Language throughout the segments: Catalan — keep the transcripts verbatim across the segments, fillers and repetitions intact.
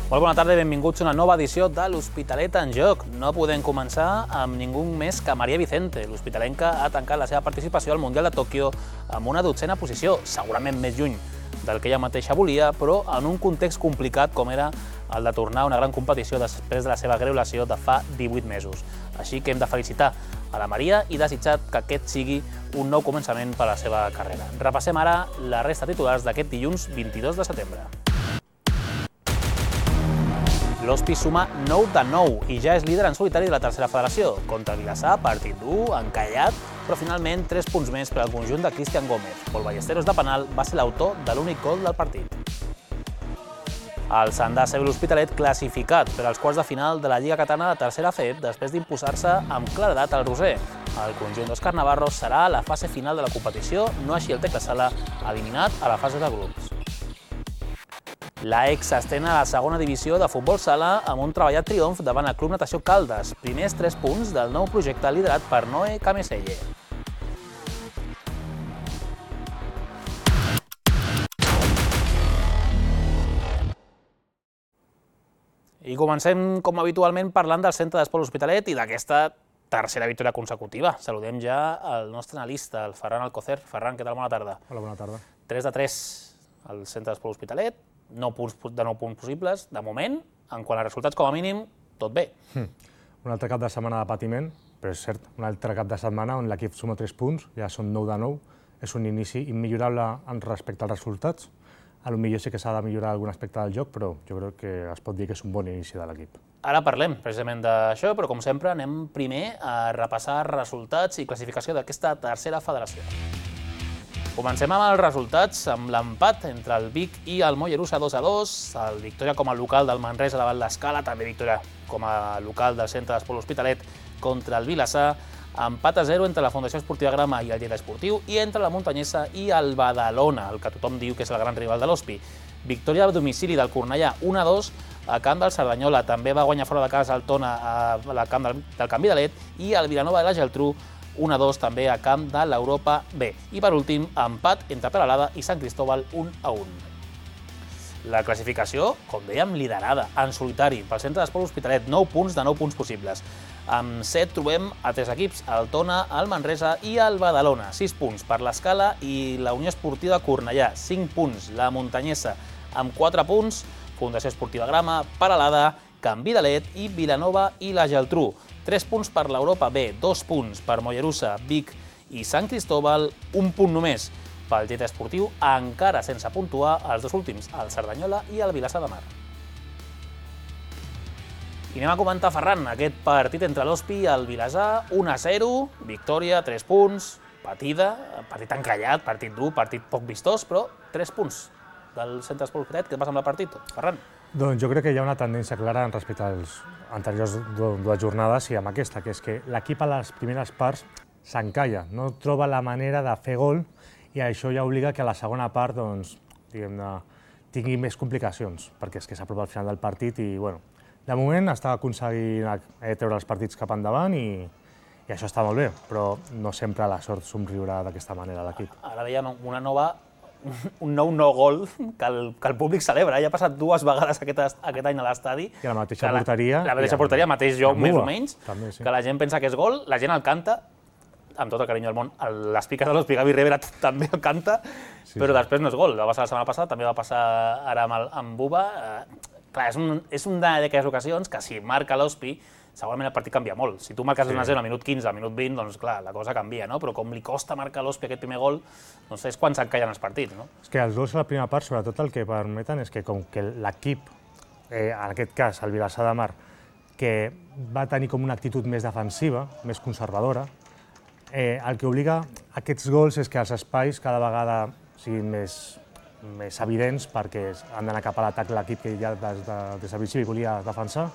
Molt bona tarda i benvinguts a una nova edició de l'Hospitalet en Joc. No podem començar amb ningú més que Maria Vicente. L'hospitalenca ha tancat la seva participació al Mundial de Tòquio amb una dotzena posició, segurament més lluny del que ella mateixa volia, però en un context complicat com era el de tornar a una gran competició després de la seva greu lesió de fa divuit mesos. Així que hem de felicitar a la Maria i desitjar que aquest sigui un nou començament per a la seva carrera. Repassem ara la resta de titulars d'aquest dilluns vint-i-dos de setembre. L'Hospi suma nou de nou i ja és líder en solitari de la tercera federació. Contra Vilassar, partit dur, encallat, però finalment tres punts més per al conjunt de Cristian Gómez. Pol Ballesteros de penal va ser l'autor de l'únic gol del partit. El Sant Dàcer i l'Hospitalet classificat per als quarts de final de la Lliga Catalana de tercera F E P després d'imposar-se amb claredat al Roser. El conjunt d'Òscar Navarro serà a la fase final de la competició, no així el Tecla Sala, eliminat a la fase de grups. La ex s'estrena a la segona divisió de futbol sala amb un treballat triomf davant el Club Natació Caldes, primers tres punts del nou projecte liderat per Noé Cameselle. I comencem, com habitualment, parlant del Centre d'Esport L'Hospitalet i d'aquesta tercera victòria consecutiva. Saludem ja el nostre analista, el Ferran Alcocer. Ferran, què tal? Bona tarda. Hola, bona tarda. tres de tres al Centre d'Esport L'Hospitalet, nou punts de nou punts possibles. De moment, en quant a resultats, com a mínim, tot bé. Mm. Un altre cap de setmana de patiment, però és cert, un altre cap de setmana on l'equip suma tres punts, ja són nou de nou. És un inici immillorable en respecte als resultats. A lo millor sí que s'ha de millorar algun aspecte del joc, però jo crec que es pot dir que és un bon inici de l'equip. Ara parlem precisament d'això, però com sempre anem primer a repassar resultats i classificació d'aquesta tercera federació. Comencem amb els resultats, amb l'empat entre el Vic i el Mollerussa dos a dos, el victòria com a local del Manresa davant l'Escala, també victòria com a local del Centre d'Esport L'Hospitalet contra el Vilassar, empat a zero entre la Fundació Esportiva Grama i el Lleida Esportiu i entre la Muntanyesa i el Badalona, el que tothom diu que és el gran rival de l'Hospi. Victòria a domicili del Cornellà un a dos a camp del Cerdanyola, també va guanyar fora de casa el Tona al camp del Can Vidalet i el Vilanova de la Geltrú un a dos també a camp de l'Europa B. I per últim, empat entre Peralada i Sant Cristóbal un a un. La classificació, com dèiem, liderada en solitari pel Centre d'Esport L'Hospitalet, nou punts de nou punts possibles. Amb set trobem a tres equips, el Tona, el Manresa i el Badalona. sis punts per l'Escala i la Unió Esportiva Cornellà, cinc punts la Muntanyesa amb quatre punts, Fundació Esportiva Grama, Peralada, Can Vidalet i Vilanova i la Geltrú. tres punts per l'Europa B, dos punts per Mollerussa, Vic i Sant Cristóbal, un punt només pel Lleida Esportiu, encara sense puntuar els dos últims, el Cerdanyola i el Vilassar de Mar. I anem a comentar, Ferran, aquest partit entre l'Hospi i el Vilassar, un a zero, victòria, tres punts, patida, partit encallat, partit dur, partit poc vistós, però tres punts del Centre d'Esport L'Hospitalet. Què passa amb el partit, Ferran? Doncs jo crec que hi ha una tendència clara respecte als anteriors dues jornades i amb aquesta, que és que l'equip a les primeres parts s'encalla, no troba la manera de fer gol i això ja obliga que a la segona part doncs, diguem-ne, tingui més complicacions, perquè és que s'apropa al final del partit i, bueno, de moment està aconseguint treure els partits cap endavant i, i això està molt bé, però no sempre la sort somriurà d'aquesta manera a l'equip. Ara veiem una nova un nou no gol que el, que el públic celebra. Ja ha passat dues vegades aquest, aquest any a l'estadi. I a la mateixa porteria. La, la mateixa porteria, mateix joc, més o menys, també, sí. Que la gent pensa que és gol, la gent el canta, amb tot el carinyo del món. Les piques de l'Hospi, Gavi Rivera també el canta, sí, però sí. Després no és gol. Va passar la setmana passada, també va passar ara amb, el, amb Buba. Eh, clar, és, un, és una d'aquelles ocasions que si marca l'Hospi, segurament el partit canvia molt. Si tu marques un a zero al minut quinze, al minut vint, doncs clar, la cosa canvia, no? Però com li costa marcar l'Hospi aquest primer gol, doncs és quan s'encallen els partits, no? És que els gols a la primera part, sobretot el que permeten és que com que l'equip, eh, en aquest cas el Vilassar de Mar, que va tenir com una actitud més defensiva, més conservadora, eh, el que obliga a aquests gols és que els espais cada vegada siguin més, més evidents perquè han d'anar cap a l'atac l'equip que ja des, de, des del principi volia defensar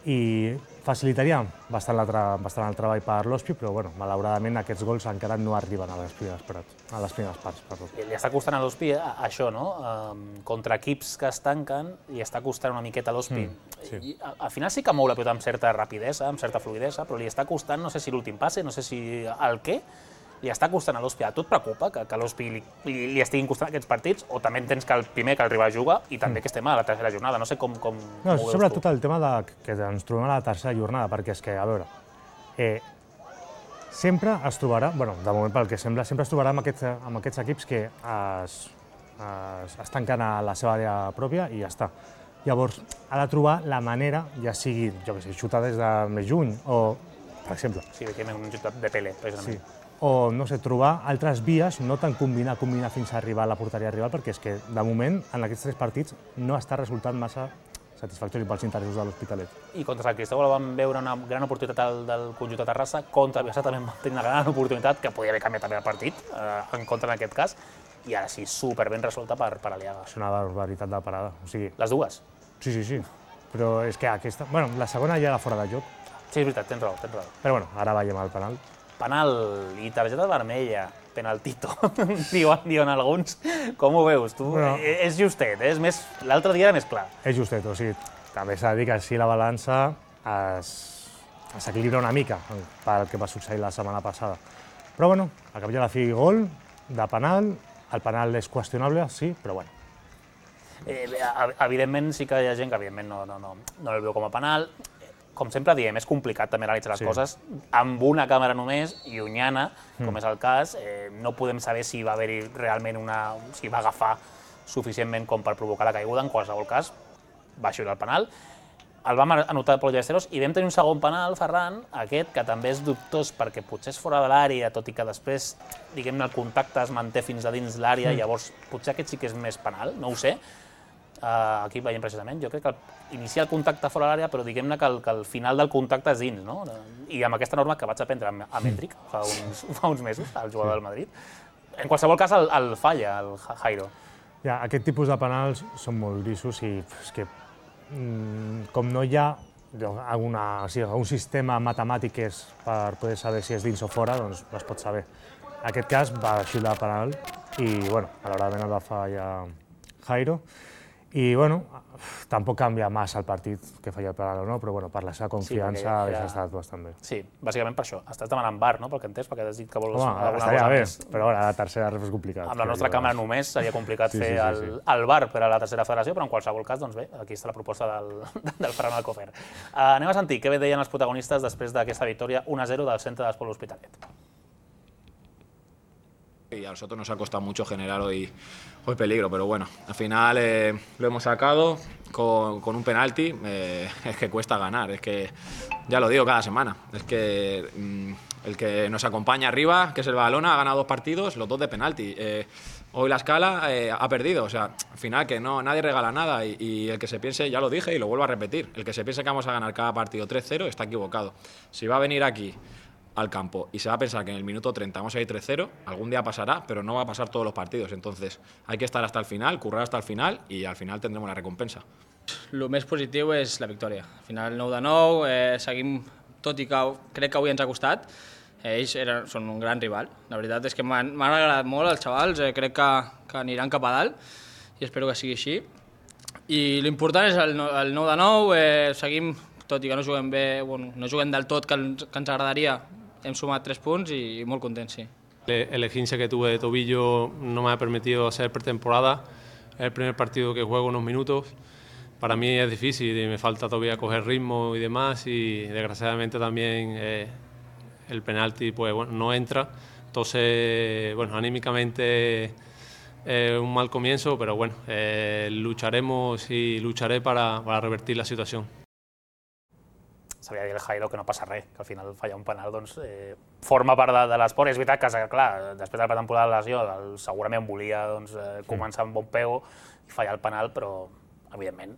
i facilitaria bastant, la, bastant el treball per l'Hospi, però bueno, malauradament aquests gols encara no arriben a les primeres parts. A les primeres parts perdó. Li està costant a l'Hospi això, no? Um, contra equips que es tanquen, li està costant una miqueta a l'Hospi. Mm, sí. I, al final sí que mou la pilota amb certa rapidesa, amb certa fluidesa, però li està costant, no sé si l'últim passe, no sé si el què, li està costant a l'Hòstia. A tu et preocupa que, que l'Hòstia li, li, li estiguin costant aquests partits? O també entens que el primer que el rival juga i també que estem a la tercera jornada? No sé com, com, no, com ho veus sobretot tu. el tema de, que ens trobem a la tercera jornada, perquè és que, a veure, eh, sempre es trobarà, bueno, de moment pel que sembla, sempre es trobarà amb aquests, amb aquests equips que es, es, es tanquen a la seva àrea pròpia i ja està. Llavors, ha de trobar la manera, ja sigui, jo què sé, xutar des de més juny, o, per exemple... Sí, que hem un xutat de Pele, precisament. Sí. O, no sé, trobar altres vies, no tant combinar, combinar fins a arribar a la porteria rival, perquè és que, de moment, en aquests tres partits, no està resultant massa satisfactori pels interessos de l'Hospitalet. I contra el Cristóbal vam veure una gran oportunitat del, del conjunt de Terrassa, contra el Vilassar també vam tenir una gran oportunitat, que podia haver canviat també el partit, eh, en contra en aquest cas, i ara sí, super ben resolta per, per Aliaga. És una barbaritat de parada, o sigui... Les dues? Sí, sí, sí, però és que aquesta... Bueno, la segona ja era fora de joc. Sí, és veritat, tens raó, tens raó. Però bueno, ara veiem el penal. Penal i targeta vermella, penaltito, diuen, diuen alguns. Com ho veus? Tu, Bueno. és justet, eh? És més... L'altre dia era més clar. És justet, o sigui, també s'ha de dir que així la balança es, s'equilibra una mica pel que va succeir la setmana passada. Però bueno, al cap i a la fi gol de penal, el penal és qüestionable, sí, però bueno. Eh, evidentment sí que hi ha gent que evidentment no, no, no, no el veu com a penal. Com sempre diem, és complicat també analitzar les Sí. coses amb una càmera només, llunyana, com Mm. és el cas. Eh, no podem saber si va haver-hi realment una... si va agafar suficientment com per provocar la caiguda. En qualsevol cas, va xiular el penal. El vam anotar Pol Ballesteros i vam tenir un segon penal, Ferran, aquest, que també és dubtós perquè potser és fora de l'àrea, tot i que després, diguem-ne, el contacte es manté fins a dins l'àrea, Mm. llavors potser aquest sí que és més penal, no ho sé. Uh, aquí veiem precisament, jo crec que el, inicia el contacte fora de l'àrea, però diguem-ne que, el, que el final del contacte és dins, no? I amb aquesta norma que vaig aprendre amb, amb Endrick fa uns, fa uns mesos, el jugador del Madrid. En qualsevol cas, el, el falla, el Jairo. Ja, aquest tipus de penals són molt grisos i és que mm, com no hi ha alguna, o sigui, un sistema matemàtic que és per poder saber si és dins o fora, doncs es pot saber. En aquest cas va xiular penal i, bueno, malauradament el va fallar Jairo. I, bueno, tampoc canvia massa el partit que feia el penal o no, però bueno, per la seva confiança Sí, perquè hauria era- estat bastant bé. Sí, bàsicament per això. Estàs demanant bar, no?, pel que entès, perquè has dit que vols Home, alguna estaria cosa bé, més. però ara la tercera és complicat. Amb la nostra càmera només seria complicat Sí, fer sí, sí, el, sí. el bar per a la tercera federació, però en qualsevol cas, doncs bé, aquí està la proposta del, del Ferran Alcofer. Uh, anem a sentir què bé deien els protagonistes després d'aquesta victòria un a zero del centre d'Esport L'Hospitalet. Y a nosotros nos ha costado mucho generar hoy, hoy peligro, pero bueno, al final eh, lo hemos sacado con, con un penalti. Eh, es que cuesta ganar, es que ya lo digo cada semana. Es que mm, el que nos acompaña arriba, que es el Badalona, ha ganado dos partidos, los dos de penalti. Eh, hoy la escala eh, ha perdido, o sea, al final que no, nadie regala nada y, y el que se piense, ya lo dije y lo vuelvo a repetir, el que se piense que vamos a ganar cada partido tres cero está equivocado. Si va a venir aquí al campo y se va a pensar que en el minuto treinta vamos a ir tres cero, algún día pasará, pero no va a pasar todos los partidos. Entonces hay que estar hasta el final, currar hasta el final y al final tendremos la recompensa. El més positiu és la victòria. Al final, nou de nou, eh, seguim, tot i que crec que avui ens ha costat, eh, ells eren, són un gran rival. La veritat és que m'han m'han agradat molt els xavals, eh, crec que, que aniran cap a dalt i espero que sigui així. I l'important és el, no- el nou de nou, eh, seguim, tot i que no juguem bé, bueno, no juguem del tot que ens, que ens agradaria, hem sumat tres punts i, i molt contents, sí. El el esguince que tuve de tobillo no me ha permitido hacer pretemporada. Es el primer partido que juego unos minutos. Para mí es difícil y me falta todavía coger ritmo y demás. Y desgraciadamente también eh, el penalti pues, bueno, no entra. Entonces, bueno, anímicamente eh, un mal comienzo, pero bueno, eh, lucharemos y lucharé para, para revertir la situación. S'havia de dir el Jairo que no passa res, que al final fallar un penal doncs, eh, forma part de, de l'esport. És veritat que, clar, després de la temporada de la lesió, el, segurament volia doncs, eh, començar amb bon peu i fallar el penal, però, evidentment...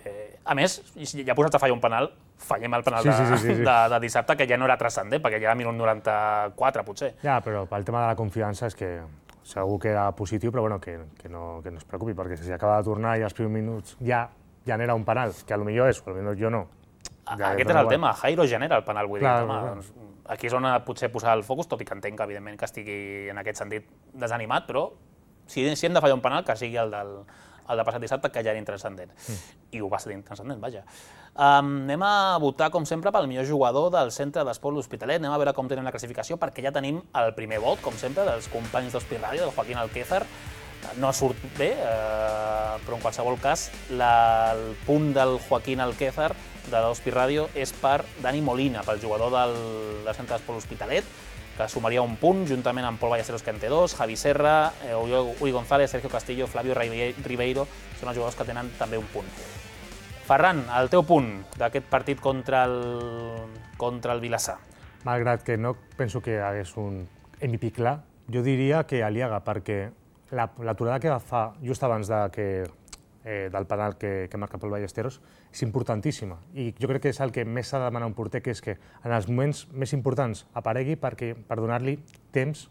Eh, a més, ja posats a fallar un penal, fallem el penal Sí, de, sí, sí, sí, sí. de, de dissabte, que ja no era transcendent, perquè ja era minut noranta-quatre, potser. Ja, però pel tema de la confiança és que segur que era positiu, però bueno, que, que, no, que no es preocupi, perquè si acaba de tornar i als primers minuts ja genera un penal, que potser és, potser jo no. Ja, Aquest però és el bueno. tema, Jairo genera el penal, vull Clar, dir, home, clar. doncs, aquí és on ha potser posar el focus, tot i que entenc que, evidentment, que estigui en aquest sentit desanimat, però si, si hem de fallar un penal, que sigui el del, el de passat dissabte, que ja era intranscendent. I ho va ser intranscendent, vaja. Anem a votar, com sempre, pel millor jugador del centre d'esport l'Hospitalet. Anem a veure com tenen la classificació, perquè ja tenim el primer vot, com sempre, dels companys d'Hospi Ràdio, del Joaquín Alquézar. No surt bé, però en qualsevol cas, el punt del Joaquín Alquézar de l'Hospi Ràdio és per Dani Molina, pel jugador del centre d'esport l'Hospitalet, que sumaria un punt, juntament amb Pol Ballesteros, que en té dos, Javi Serra, Uri González, Sergio Castillo, Flavio Ribeiro, són els jugadors que tenen també un punt. Ferran, el teu punt d'aquest partit contra el, contra el Vilassar. Malgrat que no penso que hagués un M V P clar, jo diria que Aliaga, perquè l'aturada que va fa just abans de que, eh, del penal que, que marca Pol Ballesteros és importantíssima. I jo crec que és el que més s'ha de demanar un porter, que és que en els moments més importants aparegui perquè, per donar-li temps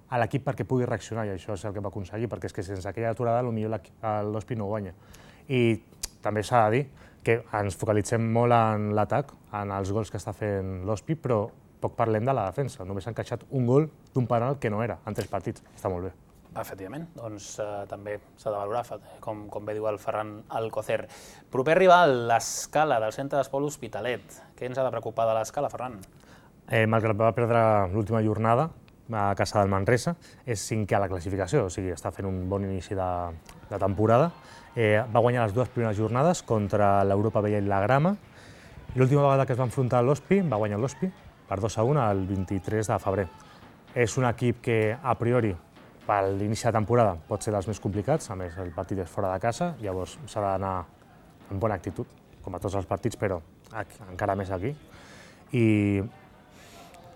a l'equip perquè pugui reaccionar, i això és el que va aconseguir, perquè és que sense aquella aturada potser l'Hospi no guanya. I també s'ha de dir que ens focalitzem molt en l'atac, en els gols que està fent l'Hospi, però poc parlem de la defensa. Només ha encaixat un gol d'un penal que no era en tres partits. Està molt bé. Efectivament, doncs eh, també s'ha de valorar, com, com bé diu el Ferran Alcocer. Proper rival, l'Escala, del centre d'esport l'Hospitalet. Què ens ha de preocupar de l'Escala, Ferran? Eh, malgrat va perdre l'última jornada a casa del Manresa, és cinquè a la classificació, o sigui, està fent un bon inici de, de temporada. Eh, va guanyar les dues primeres jornades contra l'Europa Vella i la Grama. L'última vegada que es va enfrontar a l'Hospi, va guanyar l'Hospi per dos a un el vint-i-tres de febrer. És un equip que, a priori, per l'inici de temporada pot ser dels més complicats, a més el partit és fora de casa, llavors s'ha d'anar amb bona actitud, com a tots els partits, però encara més aquí. I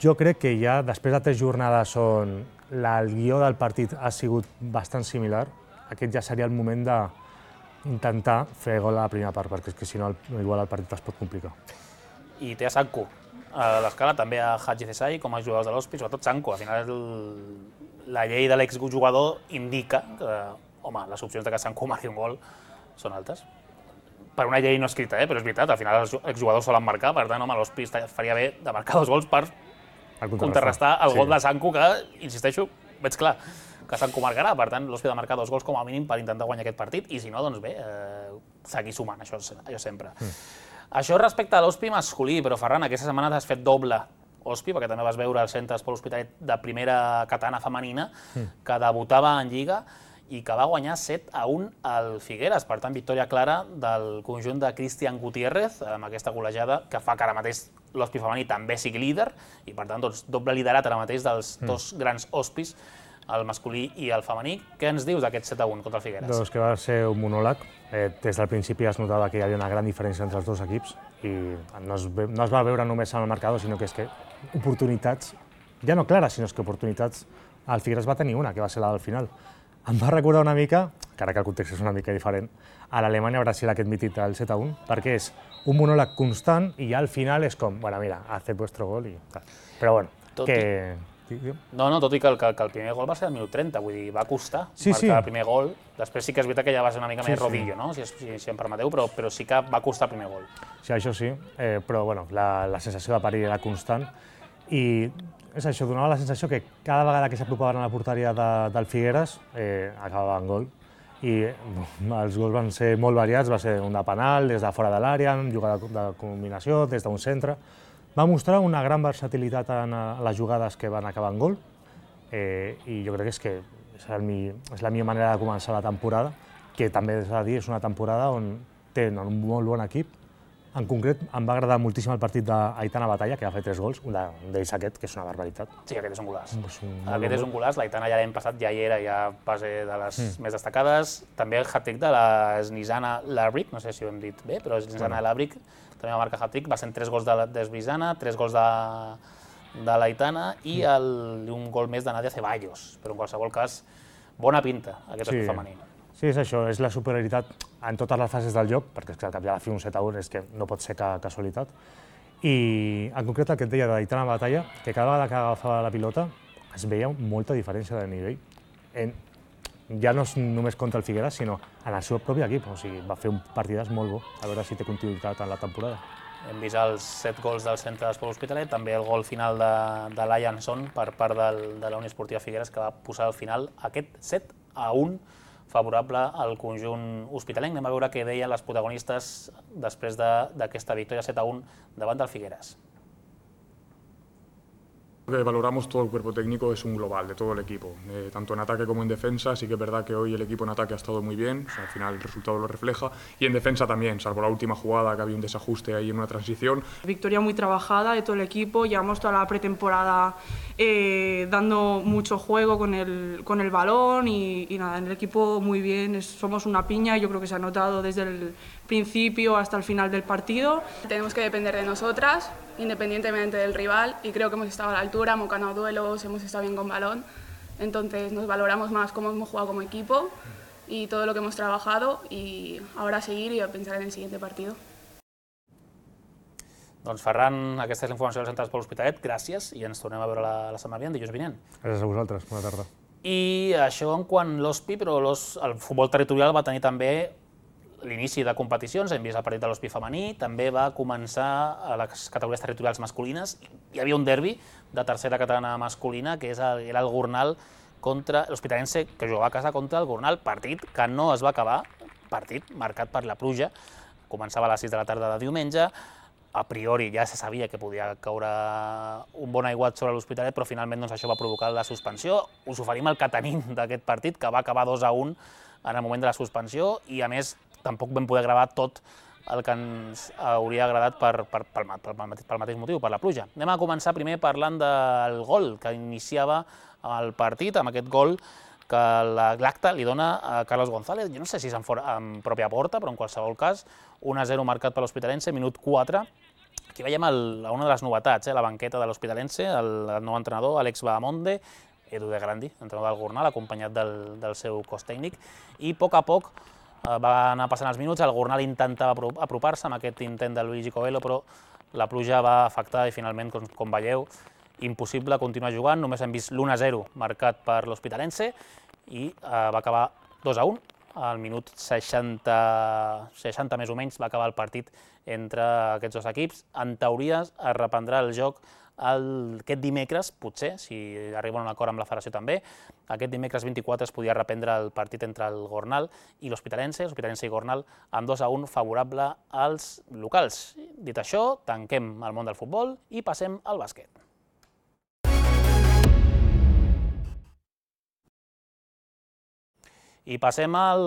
jo crec que ja després de tres jornades on el guió del partit ha sigut bastant similar, aquest ja seria el moment d'intentar fer gol a la primera part, perquè és que si no igual el partit es pot complicar. I té a Sanko a l'Escala, també a Haji Cesai com a jugadors de l'Hospi, sobretot Sanko. Al final la llei de l'exjugador indica que, home, les opcions de que Sanko marqui un gol són altes. Per una llei no escrita, eh? Però és veritat, al final els exjugadors solen marcar, per tant, home, l'Hospi faria bé de marcar dos gols per contrarrestar el gol de Sanko, que, insisteixo, veig clar que Sanko marcarà, per tant, l'Hospi ha de marcar dos gols com a mínim per intentar guanyar aquest partit, i si no, doncs bé, eh, seguir sumant, això, això sempre. Mm. Això respecte a l'Hospi masculí, però Ferran, aquesta setmana t'has fet doble Hospi, perquè també vas veure el centre d'esport l'Hospitalet de primera catalana femenina, que debutava en Lliga i que va guanyar set a un al Figueres. Per tant, victòria clara del conjunt de Cristian Gutiérrez, amb aquesta golejada que fa que ara mateix l'Hospi femení també sigui líder, i per tant, doncs, doble liderat ara mateix dels dos grans Hospis, el masculí i el femení. Què ens dius d'aquest set a un contra el Figueres? Doncs que va ser un monòleg. Eh, des del principi es notava que hi havia una gran diferència entre els dos equips i no es, ve, no es va veure només en el marcador, sinó que és que oportunitats, ja no clares, sinó que oportunitats, el Figueres va tenir una, que va ser la del final. Em va recordar una mica, encara que el context és una mica diferent, a l'Alemanya-Brasil aquest mític del set a un, perquè és un monòleg constant i ja al final és com, bueno, mira, haced vuestro gol i tal. Però bueno, tot que... I... No, no, tot i que el, que, que el primer gol va ser al minut trenta, vull dir, va costar sí, marcar sí. el primer gol. Després sí que és veritat que ja va ser una mica sí, més rodillo, sí. no? si, si, si em permeteu, però, però sí que va costar el primer gol. Sí, això sí, eh, però bueno, la, la sensació de perill era constant i és això, donava la sensació que cada vegada que s'apropaven a la porteria de, del Figueres eh, acabava en gol. I els gols van ser molt variats, va ser un de penal, des de fora de l'àrea, jugada de combinació, des d'un centre. Va mostrar una gran versatilitat en les jugades que van acabar en gol eh, i jo crec que és, que és, el mi, és la millor manera de començar la temporada, que també s'ha de dir, és una temporada on tenen un molt bon equip. En concret, em va agradar moltíssim el partit d'Aitana Batalla, que va fer tres gols, un d'ells aquest, que és una barbaritat. Sí, aquest és un golaç. És un aquest és un golaç, l'Aitana ja l'any passat ja hi era, ja base de les mm. més destacades. També el hat-trick de la Snizana Labrick, no sé si ho hem dit bé, però Snizana bueno. Labrick també va marcar hat-trick, va ser tres gols de, de Snizana, tres gols de, de l'Aitana i el, un gol més de Nadia Ceballos. Però en qualsevol cas, bona pinta aquest sí. equip femení. Sí, és això, és la superioritat en totes les fases del joc, perquè és que al cap i a la fi un set a un és que no pot ser ca casualitat. I en concret el que et deia d'Aitana Batalla, que cada vegada que agafava la pilota es veia molta diferència de nivell. En, ja no és només contra el Figueres, sinó en el seu propi equip. O sigui, va fer un partidàs molt bo, a veure si té continuïtat en la temporada. Hem vist els set gols del centre d'esport Hospitalet, també el gol final de, de l'Ianson per part del, de la Unió Esportiva Figueres, que va posar al final aquest set a un favorable al conjunt hospitalenc. Anem a veure què deien les protagonistes després d'aquesta victòria set a un davant del Figueres. Lo que valoramos todo el cuerpo técnico es un global de todo el equipo, eh, tanto en ataque como en defensa. Sí que es verdad que hoy el equipo en ataque ha estado muy bien, o sea, al final el resultado lo refleja, y en defensa también, salvo la última jugada que había un desajuste ahí en una transición. Victoria muy trabajada de todo el equipo, llevamos toda la pretemporada eh, dando mucho juego con el, con el balón y, y nada, en el equipo muy bien, es, somos una piña, yo creo que se ha notado desde el principio hasta el final del partido. Tenemos que depender de nosotras, independientemente del rival, y creo que hemos estado a la altura, hemos ganado duelos, hemos estado bien con balón, entonces nos valoramos más cómo hemos jugado como equipo y todo lo que hemos trabajado, y ahora a seguir i a pensar en el siguiente partido. Doncs Ferran, aquesta és la informació dels centres per l'Hospitalet, gràcies, i ens tornem a veure la, la setmana vinent, dilluns vinent. Gràcies a vosaltres, bona tarda. I això en quant l'Hospi, però el futbol territorial va tenir també l'inici de competicions, hem vist el partit de l'Hospi femení, també va començar a les categories territorials masculines. Hi havia un derbi de tercera catalana masculina, que és el, era el Gornal contra l'Hospitalense, que jugava a casa contra el Gornal, partit que no es va acabar, partit marcat per la pluja, començava a les sis de la tarda de diumenge, a priori ja se sabia que podia caure un bon aiguat sobre l'Hospitalet, però finalment doncs, això va provocar la suspensió. Us oferim el que tenim d'aquest partit, que va acabar dos a un en el moment de la suspensió, i a més tampoc vam poder gravar tot el que ens hauria agradat per, per, pel, pel, pel mateix motiu, per la pluja. Anem a començar primer parlant del gol que iniciava el partit, amb aquest gol que l'acte li dona a Carlos González, jo no sé si és en, fora, en pròpia porta, però en qualsevol cas, un a zero marcat per l'Hospitalense, minut quatre. Aquí veiem el, una de les novetats, eh, la banqueta de l'Hospitalense, el, el nou entrenador, Àlex Bahamonde, Edu de Grandi, entrenador del Gornal, acompanyat del, del seu cos tècnic, i a poc a poc eh, va anar passant els minuts, el Gornal intentava apropar-se amb aquest intent de Luigi Coelho, però la pluja va afectar i finalment, com, com veieu, impossible continuar jugant, només hem vist l'u a zero marcat per l'Hospitalense i eh, va acabar dos a un, al minut seixanta, seixanta més o menys va acabar el partit entre aquests dos equips. En teoria es reprendrà el joc el, aquest dimecres, potser, si arriba a un acord amb la federació també, aquest dimecres vint-i-quatre es podia reprendre el partit entre el Gornal i l'Hospitalense, l'Hospitalense i Gornal, amb dos a un favorable als locals. Dit això, tanquem el món del futbol i passem al bàsquet. I passem al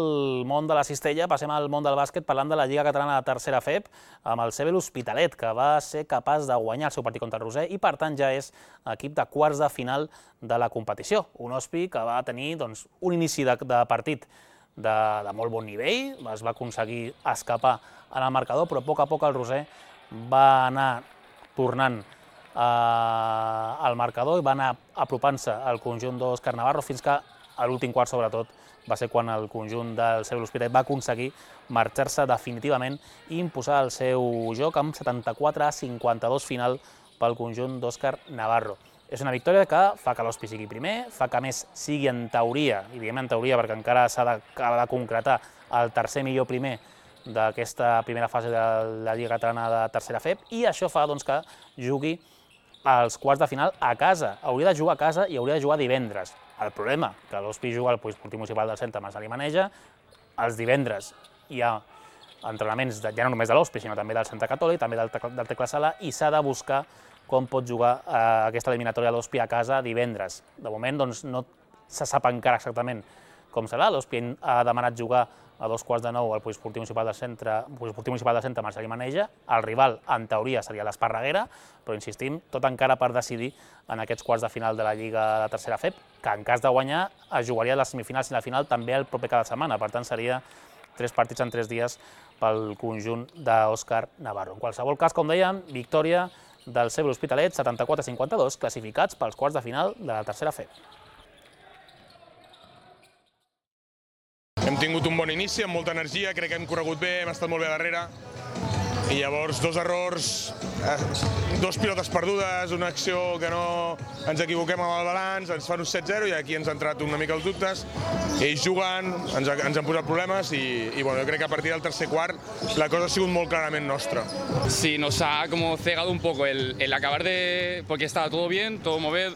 món de la cistella, passem al món del bàsquet parlant de la Lliga Catalana de Tercera F E P amb el C B l'Hospitalet, que va ser capaç de guanyar el seu partit contra el Roser i per tant ja és equip de quarts de final de la competició. Un Hospi que va tenir doncs, un inici de, de partit de, de molt bon nivell, es va aconseguir escapar en el marcador, però a poc a poc el Roser va anar tornant eh, al marcador i va anar apropant-se al conjunt d'Òscar Navarro fins que a l'últim quart, sobretot, va ser quan el conjunt del C B l'Hospitalet va aconseguir marxar-se definitivament i imposar el seu joc amb setanta-quatre a cinquanta-dos final pel conjunt d'Òscar Navarro. És una victòria que fa que l'Hospi sigui primer, fa que a més sigui en teoria, i diem en teoria perquè encara s'ha de, de concretar el tercer millor primer d'aquesta primera fase de la Lliga Catalana de Tercera F E P, i això fa doncs, que jugui als quarts de final a casa. Hauria de jugar a casa i hauria de jugar divendres. El problema, que l'Hospi juga al Poliesportiu Municipal del Centre Marçal i Maneja, els divendres hi ha entrenaments de, ja no només de l'Hospi, sinó també del Centre Catòlic, també del, del Tecla Sala, i s'ha de buscar com pot jugar eh, aquesta eliminatòria de l'Hospi a casa divendres. De moment doncs, no se sap encara exactament com serà. L'Hospi ha demanat jugar a dos quarts de nou al Poliesportiu Municipal del Centre, Poliesportiu Municipal del Centre Marçal i Maneja. El rival, en teoria, seria l'Esparreguera, però insistim, tot encara per decidir en aquests quarts de final de la Lliga de Tercera F E P, que en cas de guanyar es jugaria les semifinals i la final també el proper cada setmana. Per tant, seria tres partits en tres dies pel conjunt d'Òscar Navarro. En qualsevol cas, com dèiem, victòria del C B l'Hospitalet, setanta-quatre a cinquanta-dos, classificats pels quarts de final de la Tercera F E P. Hem tingut un bon inici, amb molta energia, crec que hem corregut bé, hem estat molt bé darrere I llavors dos errors, dos pilotes perdudes, una acció que no ens equivoquem amb el balanç, ens fan un set zero i aquí ens han entrat una mica els dubtes. Ells jugant, ens, ens han posat problemes i, y bueno, yo creo que a partir del tercer quart la cosa ha sido muy claramente nuestra. Sí, nos ha como cegado un poco el, el acabar de... porque estaba todo bien, todo mover,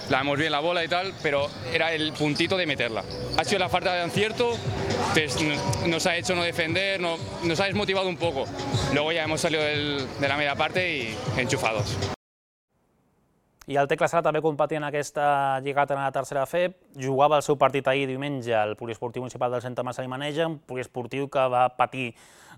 la hemos bien la bola y tal, pero era el puntito de meterla. Ha sido la falta de acierto, nos ha hecho no defender, no, nos ha desmotivado un poco. Luego ya hemos salido del, de la media parte y enchufados. I el Tecla Sala també competia en aquesta Lliga Catalana de tercera F E P, jugava el seu partit ahir diumenge al Poliesportiu Municipal del Centre Marcel i Maneja, un poliesportiu que va patir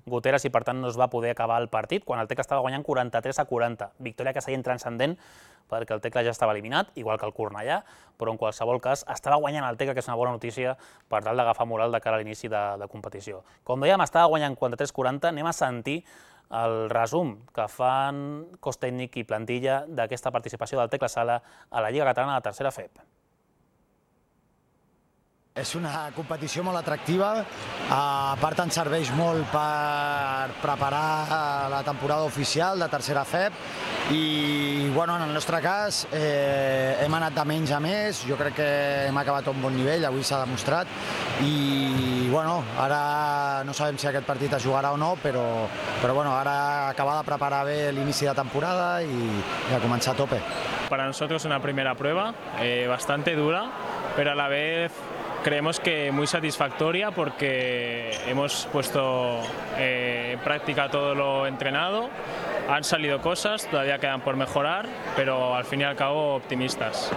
goteres i per tant no es va poder acabar el partit, quan el Tecla estava guanyant quaranta-tres a quaranta. Victòria que seguia transcendent perquè el Tecla ja estava eliminat, igual que el Cornellà, però en qualsevol cas estava guanyant el Tecla, que és una bona notícia per tal d'agafar moral de cara a l'inici de, de competició. Com dèiem, estava guanyant quaranta-tres a quaranta, anem a sentir el resum que fan cos tècnic i plantilla d'aquesta participació del Tecla Sala a la Lliga Catalana de tercera F E P. És una competició molt atractiva, a part ens serveix molt per preparar la temporada oficial de tercera F E P i bueno, en el nostre cas eh, hem anat de menys a més, jo crec que hem acabat a un bon nivell, avui s'ha demostrat i bueno, ara no sabem si aquest partit es jugarà o no, però, però bueno, ara acabar de preparar bé l'inici de temporada i, i a començar a tope. Para nosotros una primera prueba eh, bastante dura, pero a la vez creemos que muy satisfactoria porque hemos puesto eh, en práctica todo lo entrenado, han salido cosas, todavía quedan por mejorar, pero al fin y al cabo optimistas.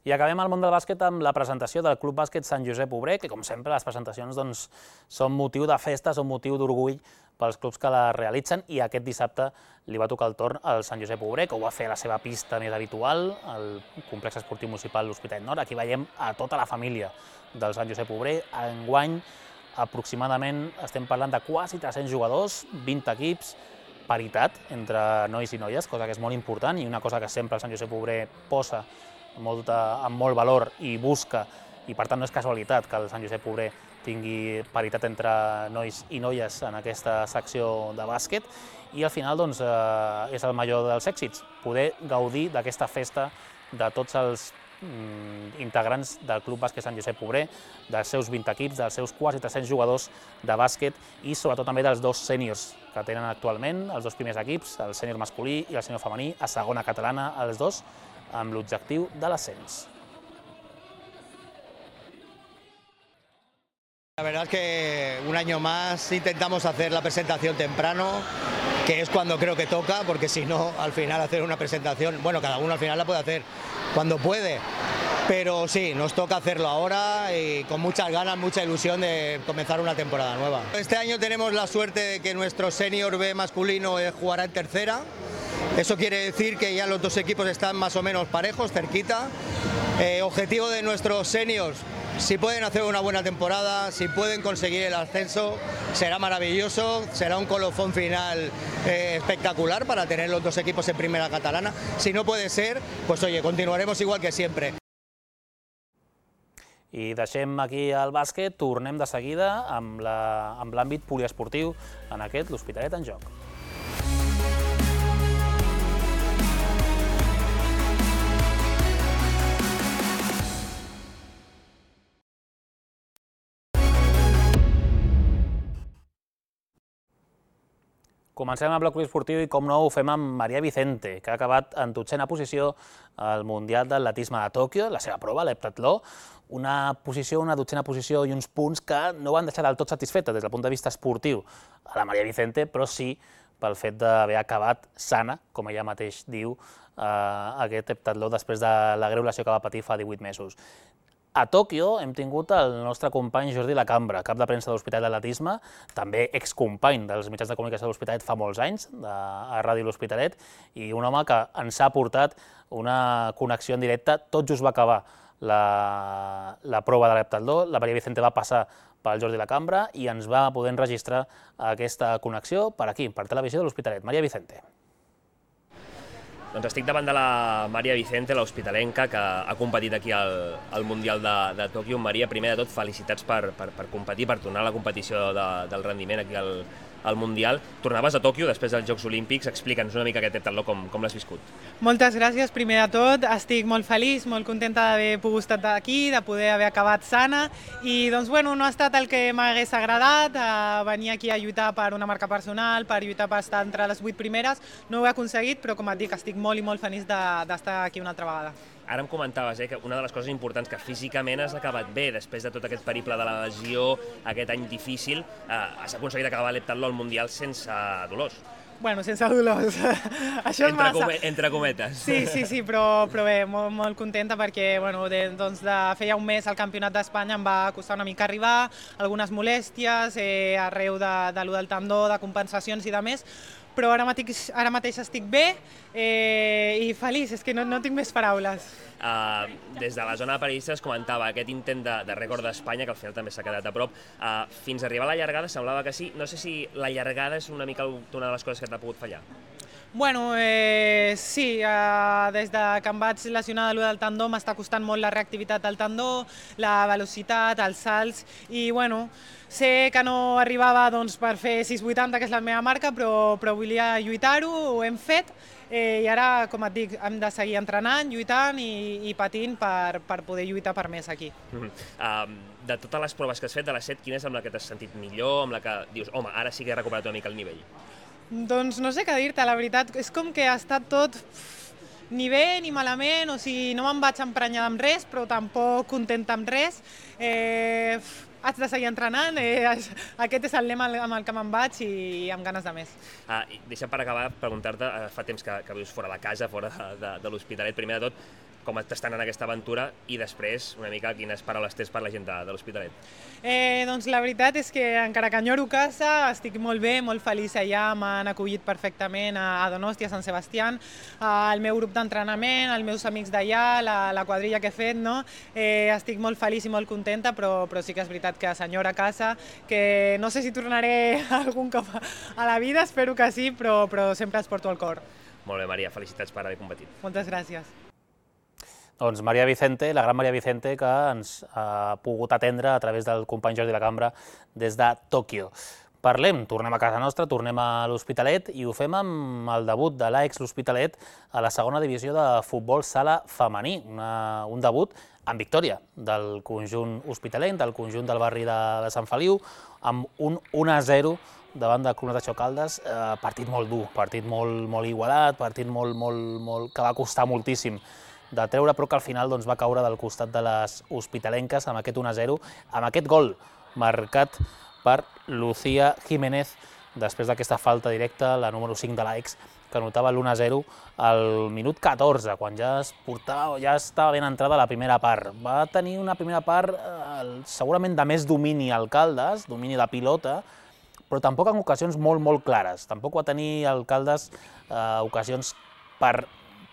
I acabem al món del bàsquet amb la presentació del Club Bàsquet Sant Josep Obrer, que com sempre les presentacions doncs, són motiu de festa, són motiu d'orgull pels clubs que la realitzen i aquest dissabte li va tocar el torn al Sant Josep Obrer, que ho va fer a la seva pista més habitual, al complex esportiu municipal l'Hospitalet Nord. Aquí veiem a tota la família del Sant Josep Obrer. Enguany, aproximadament, estem parlant de quasi tres-cents jugadors, vint equips, paritat entre nois i noies, cosa que és molt important i una cosa que sempre el Sant Josep Obrer posa molta, amb molt valor i busca, i per tant no és casualitat que el Sant Josep Obrer tingui paritat entre nois i noies en aquesta secció de bàsquet i al final doncs, eh, és el major dels èxits, poder gaudir d'aquesta festa de tots els mm, integrants del Club Bàsquet Sant Josep Obrer, dels seus vint equips, dels seus quasi tres-cents jugadors de bàsquet i sobretot també dels dos sèniors que tenen actualment, els dos primers equips, el sènior masculí i el sènior femení, a segona catalana, els dos, amb l'objectiu de l'ascens. La verdad es que un año más intentamos hacer la presentación temprano, que es cuando creo que toca, porque si no, al final hacer una presentación, bueno, cada uno al final la puede hacer cuando puede, pero sí, nos toca hacerlo ahora y con muchas ganas, mucha ilusión de comenzar una temporada nueva. Este año tenemos la suerte de que nuestro senior B masculino jugará en tercera. Eso quiere decir que ya los dos equipos están más o menos parejos, cerquita. Eh, objetivo de nuestros seniors, si pueden hacer una buena temporada, si pueden conseguir el ascenso, será maravilloso, será un colofón final eh, espectacular para tener los dos equipos en primera catalana. Si no puede ser, pues oye, continuaremos igual que siempre. I deixem aquí el bàsquet, tornem de seguida amb l'àmbit poliesportiu, en aquest l'Hospitalet en joc. Comencem amb el bloc poliesportiu i, com no, ho fem amb Maria Vicente, que ha acabat en dotzena posició al Mundial d'Atletisme de Tòquio, la seva prova, l'heptatló, una posició, una dotzena posició i uns punts que no van deixar del tot satisfeta des del punt de vista esportiu a la Maria Vicente, però sí pel fet d'haver acabat sana, com ella mateix diu, aquest heptatló després de la greu lesió que va patir fa divuit mesos. A Tòquio hem tingut el nostre company Jordi Lacambra, cap de premsa de l'Hospitalet d'Atletisme, també excompany dels mitjans de comunicació de l'Hospitalet fa molts anys, a Ràdio L'Hospitalet, i un home que ens ha portat una connexió en directe. Tot just va acabar la prova de l'heptatló, la Maria Vicente va passar pel Jordi Lacambra i ens va poder enregistrar aquesta connexió per aquí, per Televisió de l'Hospitalet. Maria Vicente. Doncs estic davant de la Maria Vicente, l'hospitalenca, que ha competit aquí al, al Mundial de, de Tòquio. Maria, primer de tot, felicitats per, per, per competir, per tornar a la competició de, del rendiment aquí al, al Mundial. Tornaves a Tòquio després dels Jocs Olímpics. Explica'ns una mica aquest heptatló, com, com l'has viscut. Moltes gràcies, primer de tot. Estic molt feliç, molt contenta d'haver pogut estar aquí, de poder haver acabat sana. I doncs, bueno, no ha estat el que m'hagués agradat, eh, venir aquí a lluitar per una marca personal, per lluitar per estar entre les vuit primeres. No ho he aconseguit, però com et dic, estic molt i molt feliç d'estar aquí una altra vegada. Ara em comentaves eh, que una de les coses importants que físicament has acabat bé, després de tot aquest periple de la lesió, aquest any difícil, eh, has aconseguit acabar l'heptatló al Mundial sense dolors. Bueno, sense dolors, això és entre massa. Come, entre cometes. Sí, sí, sí, però, però bé, molt, molt contenta perquè bueno, de, doncs de, feia un mes al Campionat d'Espanya em va costar una mica arribar, algunes molèsties, eh, arreu de, de lo del tendó, de compensacions i de més, però ara mateix, ara mateix estic bé eh, i feliç, és que no, no tinc més paraules. Uh, des de la zona de periodistes es comentava aquest intent de, de rècord d'Espanya, que al final també s'ha quedat a prop, uh, fins a arribar a la llargada semblava que sí. No sé si la llargada és una mica una de les coses que t'ha pogut fallar. Bueno, eh, sí, eh, des de que em vaig lesionar de l'u del tendó m'està costant molt la reactivitat del tendó, la velocitat, els salts, i bueno, sé que no arribava doncs, per fer sis vuitanta, que és la meva marca, però, però volia lluitar-ho, ho hem fet, eh, i ara, com et dic, hem de seguir entrenant, lluitant i, i patint per, per poder lluitar per més aquí. Mm-hmm. uh, de totes les proves que has fet, de les set, quina és amb la que t'has sentit millor, amb la que dius, home, ara sí que he recuperat una mica el nivell? Doncs no sé què dir-te, la veritat, és com que ha estat tot ni bé ni malament, o sigui, no me'n vaig emprenyar amb res, però tampoc contenta amb res. Eh, haig de seguir entrenant, eh, aquest és el lema amb el que me'n vaig i amb ganes de més. Ah, deixa per acabar preguntar-te, fa temps que, que vius fora de casa, fora de, de, de l'Hospitalet, primer de tot, com t'estan en aquesta aventura i després, una mica, quines paraules tens per la gent de, de l'Hospitalet? Eh, doncs la veritat és que encara que enyoro casa, estic molt bé, molt feliç allà, m'han acollit perfectament a, a Donosti, a Sant Sebastián, al meu grup d'entrenament, als meus amics d'allà, la, la quadrilla que he fet, no? Eh, estic molt feliç i molt contenta, però, però sí que és veritat que senyora casa, que no sé si tornaré algun cop a la vida, espero que sí, però, però sempre els porto al cor. Molt bé, Maria, felicitats per haver competit. Moltes gràcies. Doncs Maria Vicente, la gran Maria Vicente, que ens ha pogut atendre a través del company Jordi La Cambra des de Tòquio. Parlem, tornem a casa nostra, tornem a l'Hospitalet i ho fem amb el debut de l'Aix l'Hospitalet a la segona divisió de futbol sala femení. Una, un debut amb victòria del conjunt hospitalenc, del conjunt del barri de, de Sant Feliu, amb un un a zero davant de Conatació Caldes. Eh, partit molt dur, partit molt, molt igualat, partit molt, molt, molt, que va costar moltíssim de treure, però que al final doncs, va caure del costat de les hospitalenques amb aquest un a zero, amb aquest gol marcat per Lucía Jiménez després d'aquesta falta directa, la número cinc de l'Aix, que anotava l'u a zero al minut catorze, quan ja es portava, ja estava ben entrada la primera part. Va tenir una primera part eh, segurament de més domini al Caldes, domini de pilota, però tampoc en ocasions molt, molt clares. Tampoc va tenir el Caldes eh, ocasions per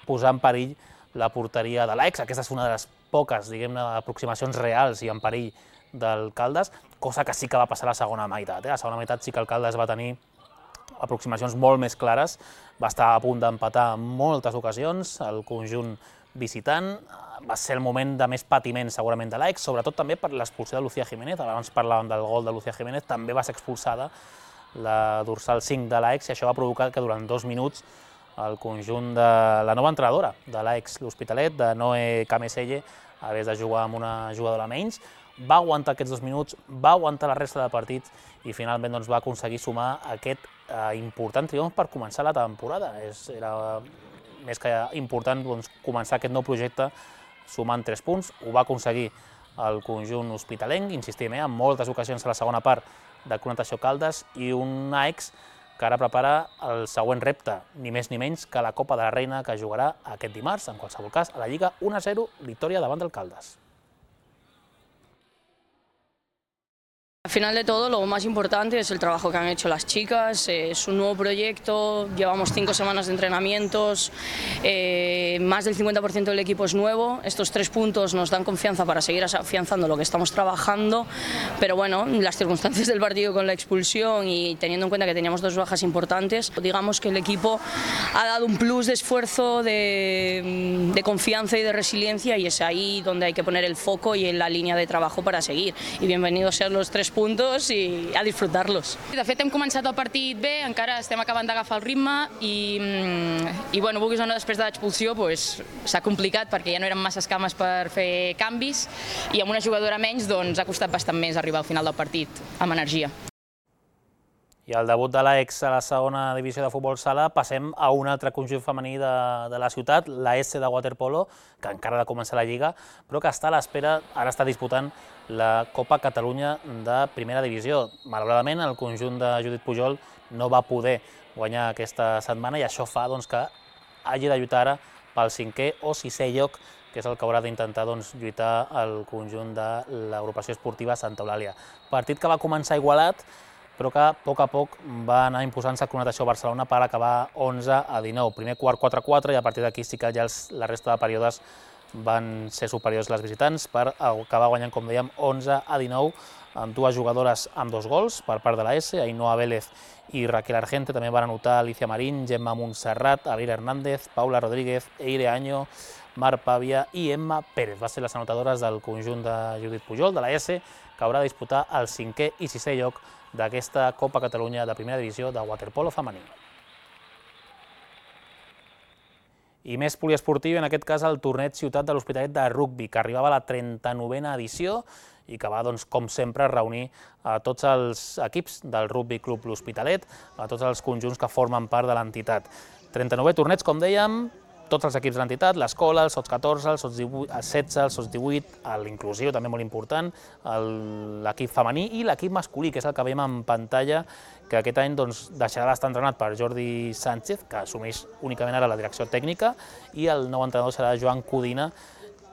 posar en perill la porteria de l'Aix. Aquesta és una de les poques, diguem-ne, aproximacions reals i en perill del Caldes, cosa que sí que va passar a la segona meitat. Eh? A la segona meitat sí que el Caldes va tenir aproximacions molt més clares, va estar a punt d'empatar en moltes ocasions, el conjunt visitant, va ser el moment de més patiment segurament de l'Aix, sobretot també per l'expulsió de Lucía Jiménez. Abans parlàvem del gol de Lucía Jiménez, també va ser expulsada la dorsal cinc de l'Aix i això va provocar que durant dos minuts el conjunt de la nova entrenadora de l'Aix l'Hospitalet, de Noé Cameselle, hagués de jugar amb una jugadora menys. Va aguantar aquests dos minuts, va aguantar la resta del partit i finalment doncs, va aconseguir sumar aquest eh, important triomf per començar la temporada. És, era més que important doncs, començar aquest nou projecte sumant tres punts. Ho va aconseguir el conjunt hospitalenc, insistim, eh, en moltes ocasions a la segona part de Conatació Caldes, i un Aix que ara prepara el següent repte, ni més ni menys que la Copa de la Reina, que jugarà aquest dimarts, en qualsevol cas, a la Lliga un a zero, victòria davant del Caldes. Al final de todo, lo más importante es el trabajo que han hecho las chicas, es un nuevo proyecto, llevamos cinco semanas de entrenamientos, eh, más del cincuenta por ciento del equipo es nuevo, estos tres puntos nos dan confianza para seguir afianzando lo que estamos trabajando, pero bueno, las circunstancias del partido con la expulsión y teniendo en cuenta que teníamos dos bajas importantes, digamos que el equipo ha dado un plus de esfuerzo, de, de confianza y de resiliencia, y es ahí donde hay que poner el foco y en la línea de trabajo para seguir. Y bienvenidos sean los tres puntos i a disfrutar-los. De fet, hem començat el partit bé, encara estem acabant d'agafar el ritme i, i bueno, vulguis o no, després de l'expulsió s'ha complicat perquè ja no eren massa cames per fer canvis i amb una jugadora menys doncs, ha costat bastant més arribar al final del partit amb energia. I el debut de l'Aix a la segona divisió de futbol sala, passem a un altre conjunt femení de, de la ciutat, la S de waterpolo, que encara ha de començar la Lliga, però que està a l'espera, ara està disputant la Copa Catalunya de primera divisió. Malauradament, el conjunt de Judit Pujol no va poder guanyar aquesta setmana i això fa doncs, que hagi de lluitar ara pel cinquè o sisè lloc, que és el que haurà d'intentar doncs, lluitar el conjunt de l'agrupació esportiva Santa Eulàlia. Partit que va començar igualat, però que a poc a poc va anar imposant-se a Connotació Barcelona per acabar onze a dinou. Primer quart quatre a quatre i a partir d'aquí sí que ja els, la resta de períodes van ser superiors les visitants per acabar guanyant, com dèiem, onze a dinou, amb dues jugadores amb dos gols per part de la S, Ainhoa Vélez i Raquel Argente. També van anotar Alicia Marín, Gemma Montserrat, Avira Hernández, Paula Rodríguez, Eire Año, Mar Pàvia i Emma Pérez. Va ser les anotadores del conjunt de Judit Pujol, de la S, que haurà de disputar el cinquè i sisè lloc d'aquesta Copa Catalunya de primera divisió de waterpolo femení. I més poliesportiu, en aquest cas el torneig Ciutat de l'Hospitalet de rugbi, que arribava a la trenta-novena edició i que va, doncs, com sempre, reunir a tots els equips del Rugbi Club L'Hospitalet, a tots els conjunts que formen part de l'entitat. trenta-novè torneig, com dèiem, tots els equips de l'entitat, l'escola, el sots catorze, el sots setze, el sots divuit, l'inclusiu, també molt important, l'equip femení i l'equip masculí, que és el que veiem en pantalla, que aquest any doncs, deixarà d'estar entrenat per Jordi Sánchez, que assumeix únicament ara la direcció tècnica, i el nou entrenador serà Joan Codina,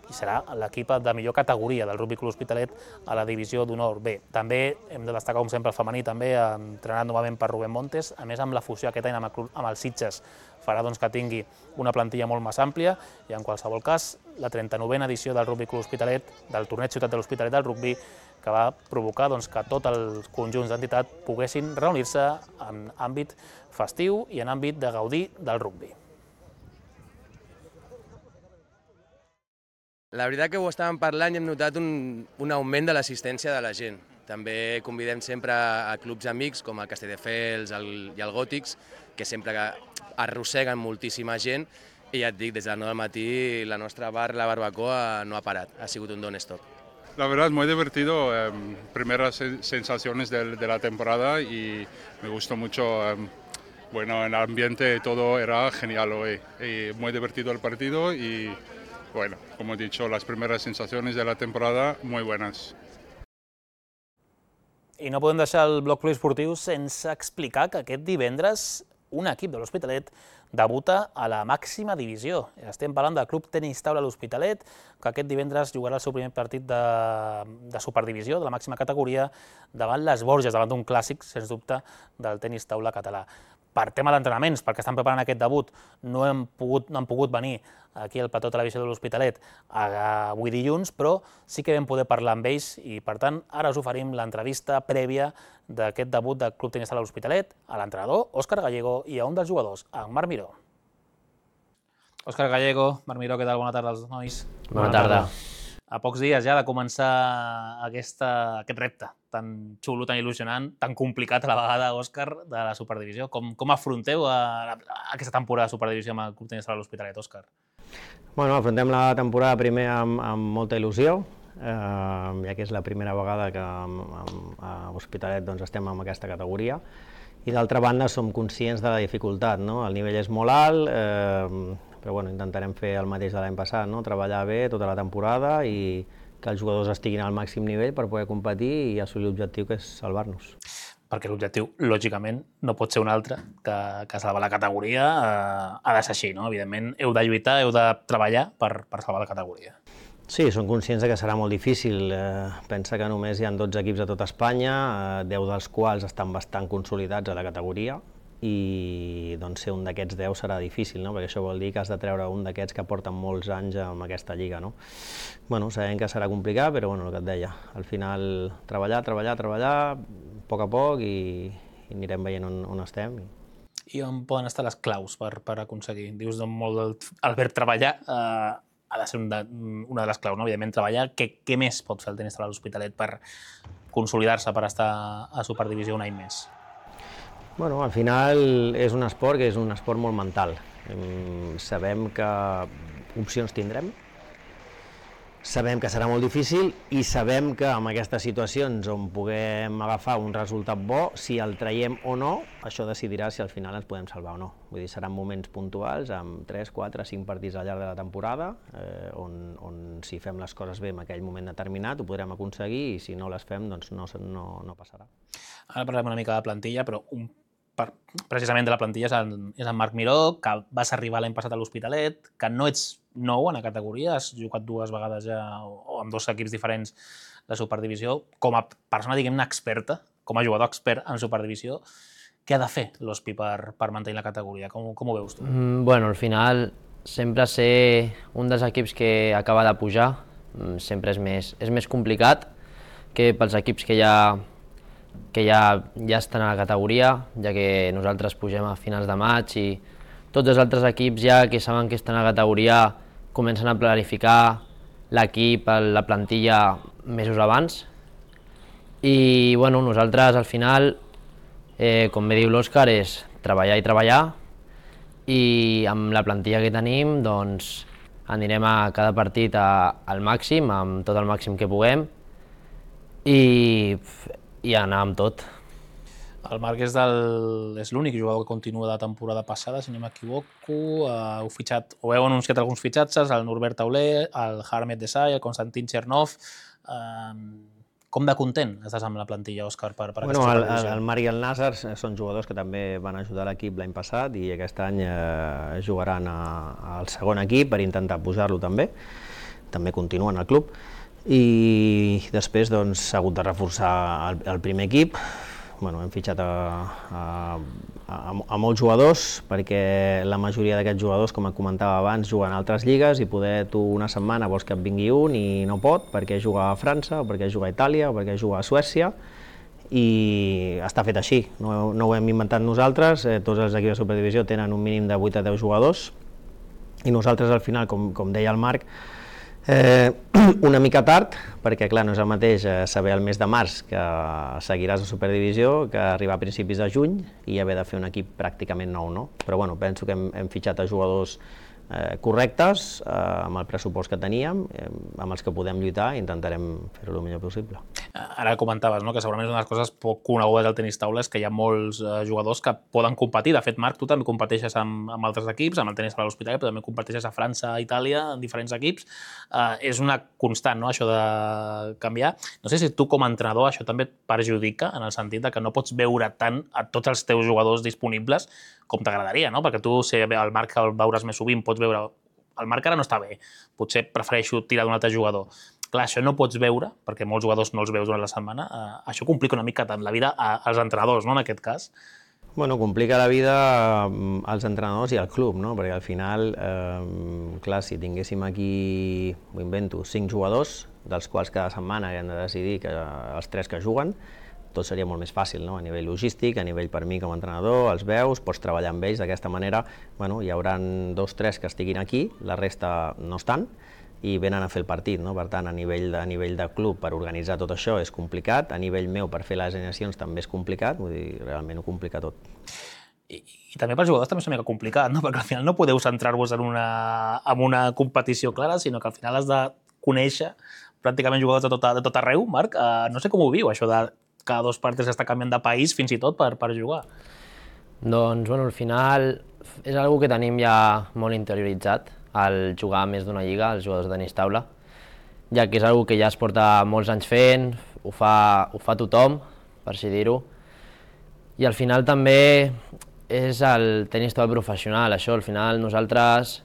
i serà l'equip de millor categoria del Rugbi Club Hospitalet a la divisió d'honor B. També hem de destacar, com sempre, el femení, també entrenat novament per Rubén Montes, a més amb la fusió aquest any amb el, club, amb el Sitges, farà doncs, que tingui una plantilla molt més àmplia i, en qualsevol cas, la trenta-novena edició del Rugbi Club Hospitalet, del torneig Ciutat de l'Hospitalet del rugbi, que va provocar doncs, que tots els conjunts d'entitat poguessin reunir-se en àmbit festiu i en àmbit de gaudir del rugbi. La veritat que ho estàvem parlant i hem notat un, un augment de l'assistència de la gent. També convidem sempre a clubs amics com el Castelldefels el, i el Gòtics, que sempre arrosseguen moltíssima gent, i ja et dic, des del nou del matí la nostra bar, la barbacoa, no ha parat, ha sigut un non-stop. La verdad, muy divertido, eh, primeras sensaciones de, de la temporada y me gustó mucho, eh, bueno, el ambiente todo era genial hoy, y muy divertido el partido y, bueno, como he dicho, las primeras sensaciones de la temporada muy buenas. I no podem deixar el bloc poliesportiu sense explicar que aquest divendres un equip de l'Hospitalet debuta a la màxima divisió. Estem parlant del Club Tenis Taula l'Hospitalet, que aquest divendres jugarà el seu primer partit de, de superdivisió, de la màxima categoria, davant les Borges, davant d'un clàssic, sens dubte, del tenis taula català. Per tema d'entrenaments, perquè estan preparant aquest debut, no han pogut, no han pogut venir aquí al plató de televisió de l'Hospitalet avui dilluns, però sí que vam poder parlar amb ells i, per tant, ara us oferim l'entrevista prèvia d'aquest debut del Club Tenis Taula l'Hospitalet a l'entrenador Òscar Gallego i a un dels jugadors, en Marc Miró. Òscar Gallego, Marc Miró, què tal? Bona tarda als nois. Bona tarda. A pocs dies ja de començar aquesta, aquest repte tan xulo, tan il·lusionant, tan complicat a la vegada, Òscar, de la Superdivisió. Com, com afronteu a, a aquesta temporada de Superdivisió amb el Club Tenis Taula l'Hospitalet, Òscar? Bueno, afrontem la temporada primer amb, amb molta il·lusió, eh, ja que és la primera vegada que amb, amb, a l'Hospitalet doncs, estem en aquesta categoria. I d'altra banda som conscients de la dificultat, no? El nivell és molt alt, eh, però bueno, intentarem fer el mateix de l'any passat, no? Treballar bé tota la temporada i que els jugadors estiguin al màxim nivell per poder competir i assolir l'objectiu, que és salvar-nos. Perquè l'objectiu, lògicament, no pot ser un altre que, que salvar la categoria, eh, ha de ser així, no? Evidentment, heu de lluitar, heu de treballar per, per salvar la categoria. Sí, som conscients que serà molt difícil. Eh, pensa que només hi ha dotze equips a tot Espanya, eh, deu dels quals estan bastant consolidats a la categoria, i doncs, ser un d'aquests deu serà difícil, no? Perquè això vol dir que has de treure un d'aquests que porten molts anys en aquesta lliga. No? Bueno, sabem que serà complicat, però bueno, el que et deia, al final treballar, treballar, treballar, a poc a poc, i, i anirem veient on, on estem. I on poden estar les claus per, per aconseguir? Dius molt el, el verb treballar, eh, ha de ser un de, una de les claus, no? Evidentment treballar. Què, què més pot fer el tenis taula l'Hospitalet per consolidar-se per estar a Superdivisió un any més? Bueno, al final és un esport que és un esport molt mental. Sabem que opcions tindrem, sabem que serà molt difícil i sabem que en aquestes situacions on puguem agafar un resultat bo, si el traiem o no, això decidirà si al final ens podem salvar o no. Vull dir, seran moments puntuals, amb tres, quatre, cinc partits al llarg de la temporada, eh, on, on si fem les coses bé en aquell moment determinat ho podrem aconseguir i si no les fem doncs no, no, no passarà. Ara parlem una mica de plantilla, però un Per, precisament de la plantilla és en, és en Marc Miró, que vas arribar l'any passat a l'Hospitalet, que no ets nou en la categoria, has jugat dues vegades ja o amb dos equips diferents de Superdivisió. Com a persona, diguem-ne, experta, com a jugador expert en Superdivisió, què ha de fer l'Hospi per, per mantenir la categoria? Com, com ho veus tu? Mm, bueno, al final, sempre ser un dels equips que acaba de pujar sempre és més, és més complicat que pels equips que ja que ja, ja estan a la categoria, ja que nosaltres pugem a finals de maig i tots els altres equips ja que saben que estan a la categoria comencen a planificar l'equip, la plantilla mesos abans. I bueno, nosaltres al final, eh, com bé diu l'Òscar, és treballar i treballar i amb la plantilla que tenim doncs anirem a cada partit a, al màxim, amb tot el màxim que puguem i i anar amb tot. El Marc és, del, és l'únic jugador que continua de la temporada passada, si no m'equivoco. Uh, heu fitxat, o heu anunciat alguns fitxatges, el Norbert Tauler, el Harmet Desai, el Konstantin Chernov. Uh, com de content estàs amb la plantilla, Òscar, per, per bueno, aquesta el, supervisió? el Marc i el Nasser són jugadors que també van ajudar l'equip l'any passat i aquest any eh, jugaran a, al segon equip per intentar pujar-lo també. També continuen al club. I després doncs, s'ha hagut de reforçar el, el primer equip. Bueno, hem fitxat a, a, a, a molts jugadors perquè la majoria d'aquests jugadors, com comentava abans, juguen a altres lligues i poder tu una setmana vols que et vingui un i no pot perquè juga a França, o perquè juga a Itàlia, o perquè juga a Suècia i està fet així, no, no ho hem inventat nosaltres, eh, tots els equips de Superdivisió tenen un mínim de vuit a deu jugadors i nosaltres al final, com, com deia el Marc, Eh, una mica tard, perquè clar, no és el mateix eh, saber el mes de març que seguiràs a Superdivisió que arribar a principis de juny i haver de fer un equip pràcticament nou, no? Però bueno, penso que hem, hem fitxat a jugadors eh, correctes, eh, amb el pressupost que teníem, eh, amb els que podem lluitar i intentarem fer-ho el millor possible. Ara comentaves, no?, que segurament és una de les coses poc conegudes al tenis taula és que hi ha molts eh, jugadors que poden competir. De fet, Marc, tu també competeixes amb, amb altres equips, amb el tenis taula a l'Hospitalet, però també competeixes a França, a Itàlia, en diferents equips. Eh, és una constant, no?, això de canviar. No sé si tu com a entrenador això també et perjudica en el sentit de que no pots veure tant a tots els teus jugadors disponibles com t'agradaria, no? Perquè tu, si el Marc el veuràs més sovint, pots veure el Marc ara no està bé, potser prefereixo tirar d'un altre jugador. Clar, això no pots veure, perquè molts jugadors no els veus durant la setmana. Eh, això complica una mica tant la vida als entrenadors, no?, en aquest cas. Bueno, complica la vida als entrenadors i al club, no? Perquè al final, eh, clar, si tinguéssim aquí, ho invento, cinc jugadors, dels quals cada setmana hem de decidir que els tres que juguen, tot seria molt més fàcil, no? A nivell logístic, a nivell per mi com a entrenador, els veus, pots treballar amb ells d'aquesta manera. Bueno, hi haurà dos, tres que estiguin aquí, la resta no estan, i venen a fer el partit, no? Per tant, a nivell, de, a nivell de club, per organitzar tot això és complicat, a nivell meu, per fer les alineacions també és complicat, vull dir, realment ho complica tot. I, i també pels jugadors també és una mica complicat, no? Perquè al final no podeu centrar-vos en una, en una competició clara, sinó que al final has de conèixer pràcticament jugadors de tot, de tot arreu. Marc, uh, no sé com ho viu, això de cada dos partes està canviant de país fins i tot per, per jugar. Doncs, bueno, al final és una que tenim ja molt interioritzat, el jugar més d'una lliga, els jugadors de tenis taula, ja que és una que ja es porta molts anys fent, ho fa, ho fa tothom, per així dir-ho, i al final també és el tenis taula professional, això, al final nosaltres,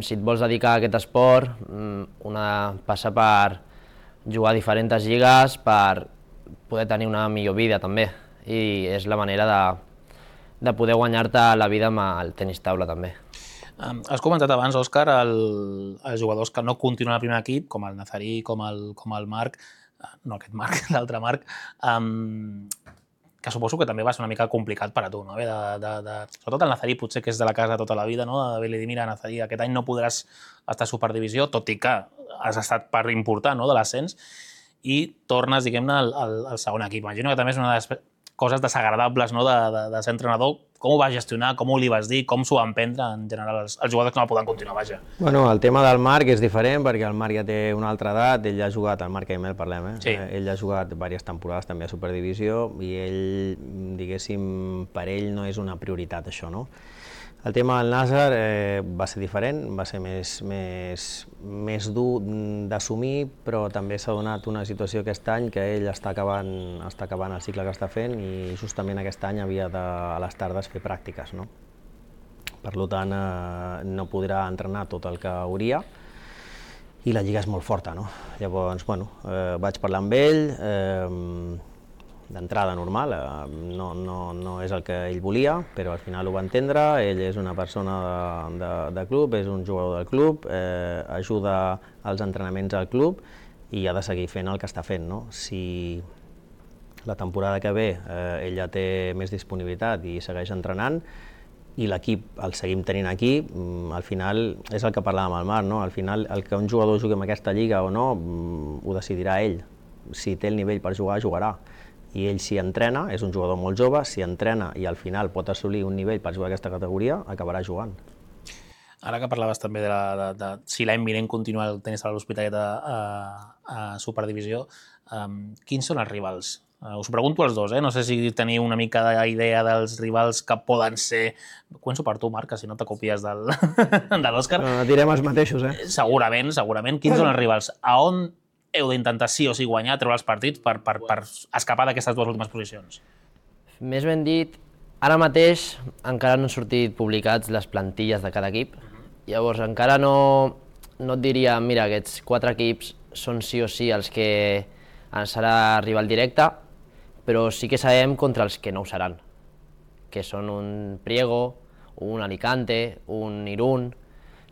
si et vols dedicar a aquest esport, una passa per jugar a diferents lligues, per poder tenir una millor vida també, i és la manera de, de poder guanyar-te la vida amb el tenis taula també. Um, has comentat abans, Òscar, el, els jugadors que no continuen al primer equip, com el Nazarí, com el, com el Marc, no aquest Marc, l'altre Marc, um, que suposo que també va ser una mica complicat per a tu, no? De, de, de, sobretot el Nazarí, potser que és de la casa tota la vida, no? De mira, Nazarí, aquest any no podràs estar a Superdivisió, tot i que has estat part important, no?, de l'ascens. i tornes, diguem-ne, al, al, al segon equip. Imagino que també és una de les coses desagradables, no?, de, de, de ser entrenador. Com ho vas gestionar, com ho li vas dir, com s'ho van prendre en general els, els jugadors que no poden continuar, vaja? Bueno, el tema del Marc és diferent perquè el Marc ja té una altra edat, ell ha jugat, el Marc Aimel parlem, eh? Sí. Ell ha jugat diverses temporades també a Superdivisió i ell, diguéssim, per ell no és una prioritat això, no? El tema del Nàsser eh, va ser diferent, va ser més, més, més dur d'assumir, però també s'ha donat una situació aquest any que ell està acabant, està acabant el cicle que està fent i justament aquest any havia de, a les tardes fer pràctiques, no? Per tant, eh, no podrà entrenar tot el que hauria i la lliga és molt forta, no? Llavors, bueno, eh, vaig parlar amb ell, eh, d'entrada normal, no, no, no és el que ell volia, però al final ho va entendre, ell és una persona de, de, de club, és un jugador del club, eh, ajuda als entrenaments al club i ha de seguir fent el que està fent, no? Si la temporada que ve eh, ell ja té més disponibilitat i segueix entrenant i l'equip el seguim tenint aquí, al final és el que parlàvem al Marc, no? Al final el que un jugador jugui en aquesta lliga o no ho decidirà ell, si té el nivell per jugar, jugarà. I ell si entrena, és un jugador molt jove, si entrena i al final pot assolir un nivell per jugar a aquesta categoria, acabarà jugant. Ara que parlaves també de, la, de, de si l'any vinent continua el tenis a l'Hospitalet a, a, a Superdivisió, um, quins són els rivals? Uh, us ho pregunto als dos, eh? No sé si teniu una mica d'idea dels rivals que poden ser... Començo per tu, Marc, que si no te copies del, de l'Òscar. No, direm els mateixos, eh? Segurament, segurament. Quins són els rivals? A on heu d'intentar sí o sí guanyar, treure els partits per, per, per escapar d'aquestes dues últimes posicions? Més ben dit, ara mateix encara no han sortit publicats les plantilles de cada equip. Llavors encara no, no et diria, mira, aquests quatre equips són sí o sí els que serà rival directe, però sí que sabem contra els que no ho seran, que són un Priego, un Alicante, un Irún,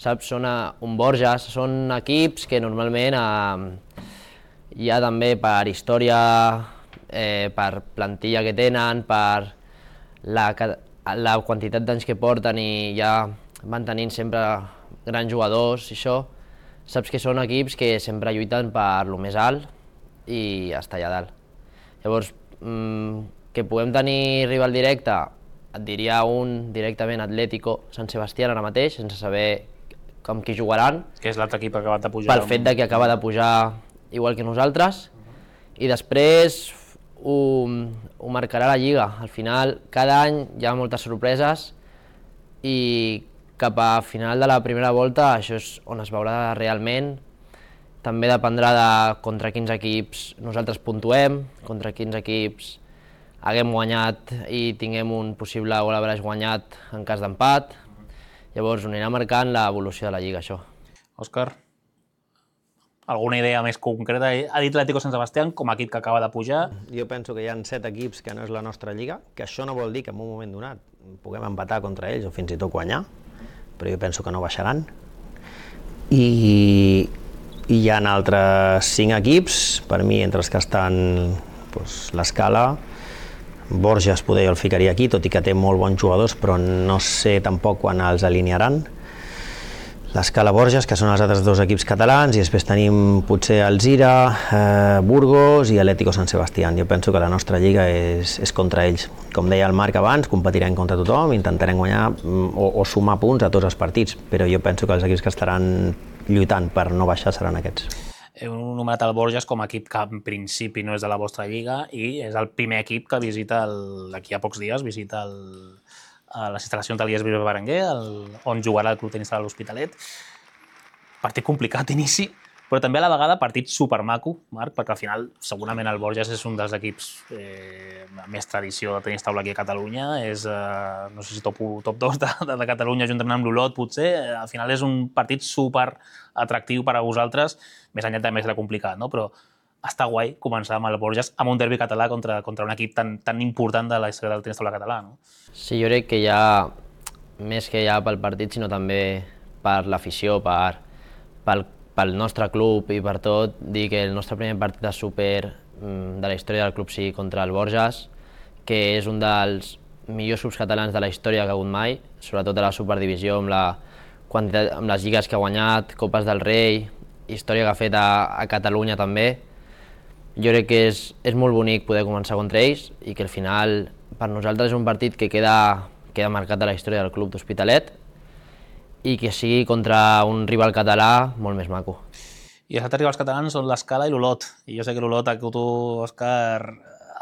saps? Són un Borges, són equips que normalment eh, hi ha també per història, eh, per plantilla que tenen, per la, la quantitat d'anys que porten i ja van tenint sempre grans jugadors i això, saps que són equips que sempre lluiten per lo més alt i estar allà dalt. Llavors, mmm, que puguem tenir rival directe, et diria un directament Atlético Sant Sebastián ara mateix, sense saber amb qui jugaran. Que és l'altre equip que ha acabat de pujar. Pel fet de que acaba de pujar igual que nosaltres. I després ho, ho marcarà la Lliga. Al final, cada any hi ha moltes sorpreses i cap a final de la primera volta això és on es veurà realment. També dependrà de contra quins equips nosaltres puntuem, contra quins equips haguem guanyat i tinguem un possible gol average guanyat en cas d'empat. Llavors, ho anirà marcant l'evolució de la Lliga, això. Òscar, alguna idea més concreta? Ha dit l'Atlético Sant Sebastián com a equip que acaba de pujar. Jo penso que hi ha set equips que no és la nostra Lliga, que això no vol dir que en un moment donat puguem empatar contra ells o fins i tot guanyar, però jo penso que no baixaran. I, i hi ha altres cinc equips, per mi, entre els que estan doncs, l'Escala, Borges poder jo el ficaria aquí, tot i que té molt bons jugadors, però no sé tampoc quan els alinearan. L'Escala Borges, que són els altres dos equips catalans, i després tenim potser Alzira, eh, Burgos i Atlético Sant Sebastián. Jo penso que la nostra lliga és, és contra ells. Com deia el Marc abans, competirem contra tothom, intentarem guanyar o, o sumar punts a tots els partits, però jo penso que els equips que estaran lluitant per no baixar seran aquests. Heu nomenat el Borges com a equip que en principi no és de la vostra lliga i és el primer equip que visita, d'aquí a pocs dies, visita el, a les instal·lacions de l'I E S Bilbao Berenguer, el, on jugarà el Club Tenis de l'Hospitalet. Partit complicat d'inici, però també a la vegada partit supermaco, Marc, perquè al final segurament el Borges és un dels equips eh, amb més tradició de tenis taula aquí a Catalunya, és, eh, no sé si top u, top dos de, de, de Catalunya juntament amb l'Olot, potser. Al final és un partit super atractiu per a vosaltres, més enllà també serà complicat, no? Però està guai començar amb el Borges amb un derbi català contra, contra un equip tan, tan important de la història del tenis taula català, no? Sí, jo crec que ja, més que ja pel partit, sinó també per l'afició, per, pel, pel nostre club i per tot, dir que el nostre primer partit de súper de la història del club sigui contra el Borges, que és un dels millors clubs catalans de la història que ha hagut mai, sobretot a la Superdivisió, amb, la quantitat, amb les lligues que ha guanyat, Copes del Rei, història que ha fet a, a Catalunya també. jo crec que és, és molt bonic poder començar contra ells i que al final per nosaltres és un partit que queda, queda marcat a la història del club d'Hospitalet i que sigui contra un rival català molt més maco. I els altres rivals catalans són l'Escala i l'Olot. I jo sé que l'Olot a tu, Òscar,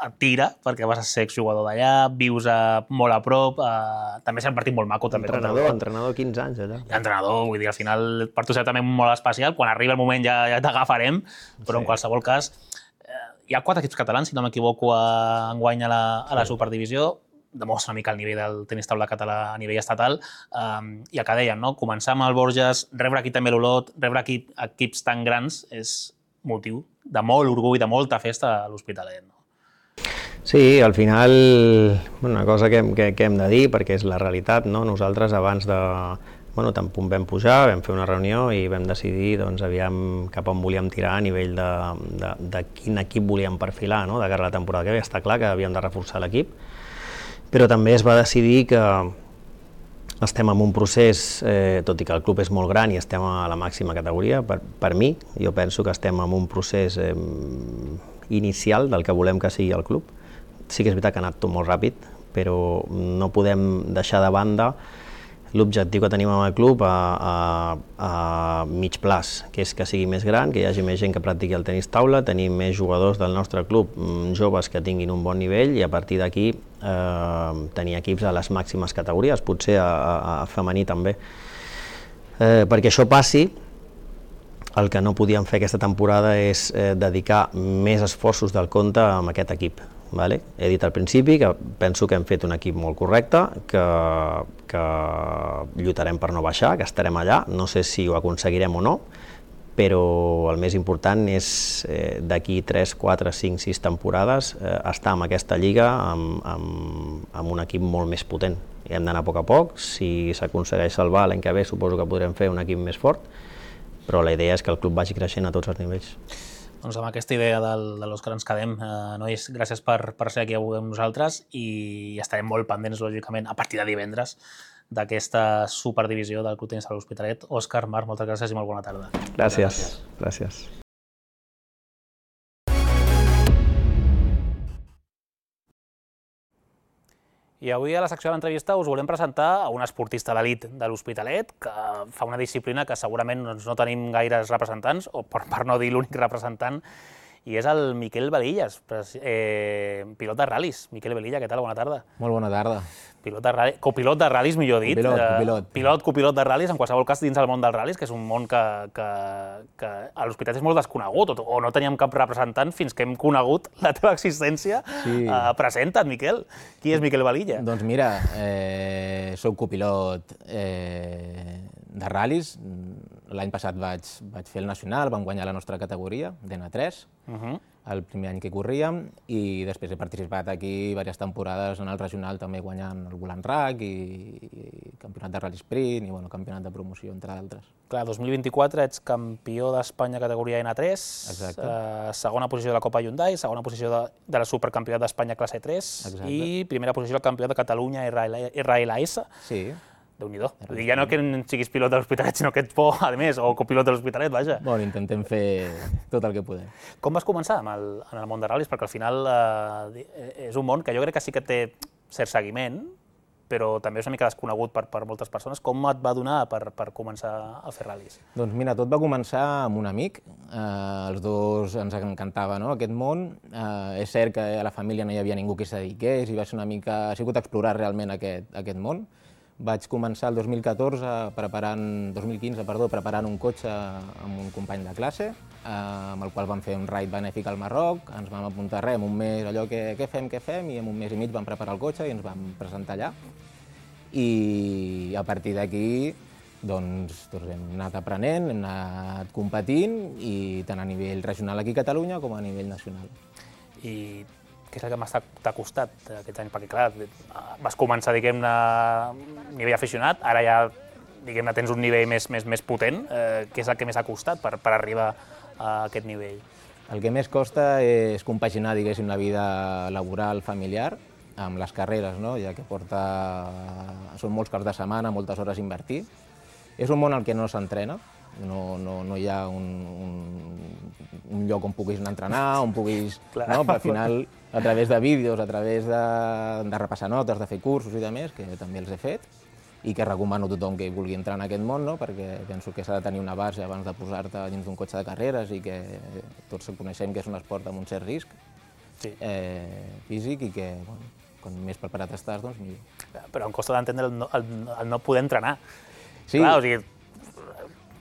et tira, perquè vas a ser exjugador d'allà, vius a, molt a prop, a, també serà un partit molt maco. També, entrenador, entrenador quinze anys allà. Entrenador, vull dir, al final per tu serà també molt especial, quan arriba el moment ja, ja t'agafarem, però sí. En qualsevol cas, eh, hi ha quatre equips catalans, si no m'equivoco, enguany a la, a la Superdivisió, demostra una mica el nivell del tenis taula català a nivell estatal, um, i el que dèiem, no? Començar amb el Borges, rebre aquí també l'Olot, rebre aquí equips tan grans és motiu de molt orgull, de molta festa a l'Hospitalet. No? Sí, al final, una cosa que, que, que hem de dir, perquè és la realitat, no? Nosaltres abans de... Bueno, tant punt vam pujar, vam fer una reunió i vam decidir doncs, aviam cap on volíem tirar a nivell de, de, de quin equip volíem perfilar, no? De cara a la temporada que ve. Està clar que havíem de reforçar l'equip, però també es va decidir que estem en un procés, eh, tot i que el club és molt gran i estem a la màxima categoria, per, per mi, jo penso que estem en un procés eh, inicial del que volem que sigui el club. Sí que és veritat que ha anat tot molt ràpid, però no podem deixar de banda l'objectiu que tenim amb el club a, a, a mig plaç, que és que sigui més gran, que hi hagi més gent que practiqui el tenis taula, tenir més jugadors del nostre club, joves que tinguin un bon nivell i a partir d'aquí eh, tenir equips a les màximes categories, potser a, a, a femení també. Eh, perquè això passi, el que no podíem fer aquesta temporada és eh, dedicar més esforços del compte a aquest equip. Vale? He dit al principi que penso que hem fet un equip molt correcte, que, que lluitarem per no baixar, que estarem allà, no sé si ho aconseguirem o no, però el més important és eh, d'aquí tres, quatre, cinc, sis temporades eh, estar en aquesta lliga amb, amb, amb un equip molt més potent. I hem d'anar a poc a poc, si s'aconsegueix salvar l'any que ve suposo que podrem fer un equip més fort, però la idea és que el club vagi creixent a tots els nivells. Doncs amb aquesta idea del, de l'Òscar ens quedem. Eh, nois, gràcies per, per ser aquí avui amb nosaltres i estarem molt pendents, lògicament, a partir de divendres, d'aquesta superdivisió del Club Tenis de l'Hospitalet. Òscar, Marc, moltes gràcies i molt bona tarda. Gràcies. Gràcies. I avui a la secció de l'entrevista us volem presentar a un esportista d'elit de l'Hospitalet que fa una disciplina que segurament doncs, no tenim gaires representants, o per, per no dir l'únic representant, i és el Miquel Velillas, eh, pilot de ral·lis. Miquel Velilla, què tal? Bona tarda. Molt bona tarda. Pilot de ral·lis, copilot de ral·lis, millor dit. Copilot, copilot. Pilot, copilot de ral·lis, en qualsevol cas dins del món dels ral·lis, que és un món que, que, que a l'Hospitalet és molt desconegut, o, o no teníem cap representant fins que hem conegut la teva existència. Sí. Uh, presenta't, Miquel. Qui és Miquel Velilla? Doncs mira, eh, soc copilot eh, de ral·lis. L'any passat vaig, vaig fer el nacional, vam guanyar la nostra categoria, D N tres, uh -huh. el primer any que corríem, i després he participat aquí diverses temporades en el regional, també guanyant el Volant Rack i, i campionat de Rally Sprint i bueno, campionat de promoció, entre d'altres. Clar, dos mil vint-i-quatre ets campió d'Espanya categoria N tres, eh, segona posició de la Copa Hyundai, segona posició de, de la Supercampionat d'Espanya classe tres. Exacte. I primera posició del campió de Catalunya R L S. Sí. Déu-n'hi-do. Ja no que siguis pilot de l'Hospitalet, sinó que ets bo, a més, o copilot de l'Hospitalet, vaja. Bueno, intentem fer tot el que podem. Com vas començar amb el, en el món de ral·lis? Perquè al final eh, és un món que jo crec que sí que té cert seguiment, però també és una mica desconegut per, per moltes persones. Com et va donar per, per començar a fer ral·lis? Doncs mira, tot va començar amb un amic. Eh, els dos ens encantava, no?, aquest món. Eh, és cert que a la família no hi havia ningú que s'hi dediqués i va ser una mica... ha sigut explorar realment aquest, aquest món. Vaig començar el dos mil catorze, preparant, dos mil quinze, perdó, preparant un cotxe amb un company de classe, eh, amb el qual vam fer un raid benèfic al Marroc, ens vam apuntar res, en un mes allò que què fem, què fem, i en un mes i mig vam preparar el cotxe i ens vam presentar allà. I a partir d'aquí doncs, doncs hem anat aprenent, hem anat competint, i tant a nivell regional aquí a Catalunya com a nivell nacional. I què és el que més t'ha costat aquests anys? Perquè, clar, vas començar, diguem-ne, a nivell aficionat, ara ja, diguem-ne, tens un nivell més, més, més potent. Eh, què és el que més ha costat per, per arribar a aquest nivell? El que més costa és compaginar, diguéssim, la vida laboral, familiar, amb les carreres, no? Ja que porta... són molts caps de setmana, moltes hores a invertir. És un món al que no s'entrena, no, no, no hi ha un, un, un lloc on puguis anar a entrenar, on puguis... No? Però al final, a través de vídeos, a través de, de repassar notes, de fer cursos i de més, que també els he fet, i que recomano a tothom que vulgui entrar en aquest món, no? Perquè penso que s'ha de tenir una base abans de posar-te dins d'un cotxe de carreres i que tots coneixem que és un esport amb un cert risc sí. eh, físic i que, bueno, com més preparat estàs, doncs millor. Però em costa d'entendre el, no, el, el no poder entrenar. Sí. Clar, o sigui,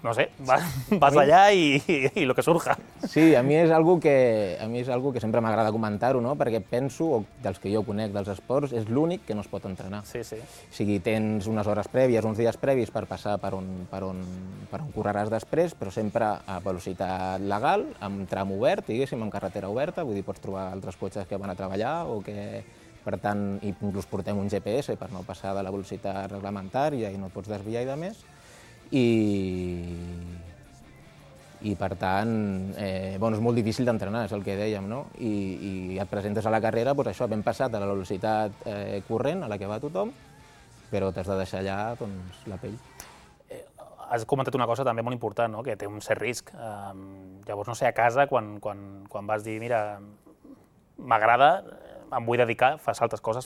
no sé, vas, vas allà i, i, i el que surja. Sí, a mi és algo que, a mi és algo que sempre m'agrada comentar-ho, no? Perquè penso, o dels que jo conec dels esports, és l'únic que no es pot entrenar. Sí, sí. O sigui, tens unes hores prèvies, uns dies previs per passar per on, per on, per on correràs després, però sempre a velocitat legal, amb tram obert, diguéssim, amb carretera oberta, vull dir, pots trobar altres cotxes que van a treballar o que, per tant, inclús portem un G P S per no passar de la velocitat reglamentària i no et pots desviar i de més. I, i per tant, eh, bueno, és molt difícil d'entrenar, és el que dèiem, no? I, i et presentes a la carrera, doncs això, ben passat a la velocitat eh, corrent a la que va tothom, però t'has de deixar allà doncs, la pell. Has comentat una cosa també molt important, no? Que té un cert risc. Um, llavors, no sé, a casa, quan, quan, quan vas dir, mira, m'agrada, em vull dedicar, fas altres coses,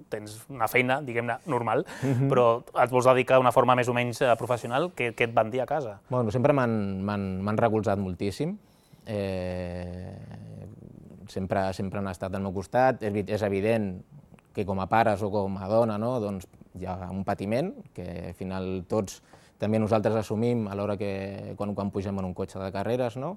tens una feina, diguem-ne, normal, mm-hmm. però et vols dedicar d'una forma més o menys professional, què, què et van dir a casa? Bueno, sempre m'han recolzat moltíssim. Eh, sempre, sempre han estat al meu costat. És, és evident que com a pares o com a dona, no, doncs hi ha un patiment que al final tots també nosaltres assumim a l'hora que quan, quan pugem en un cotxe de carreres, no?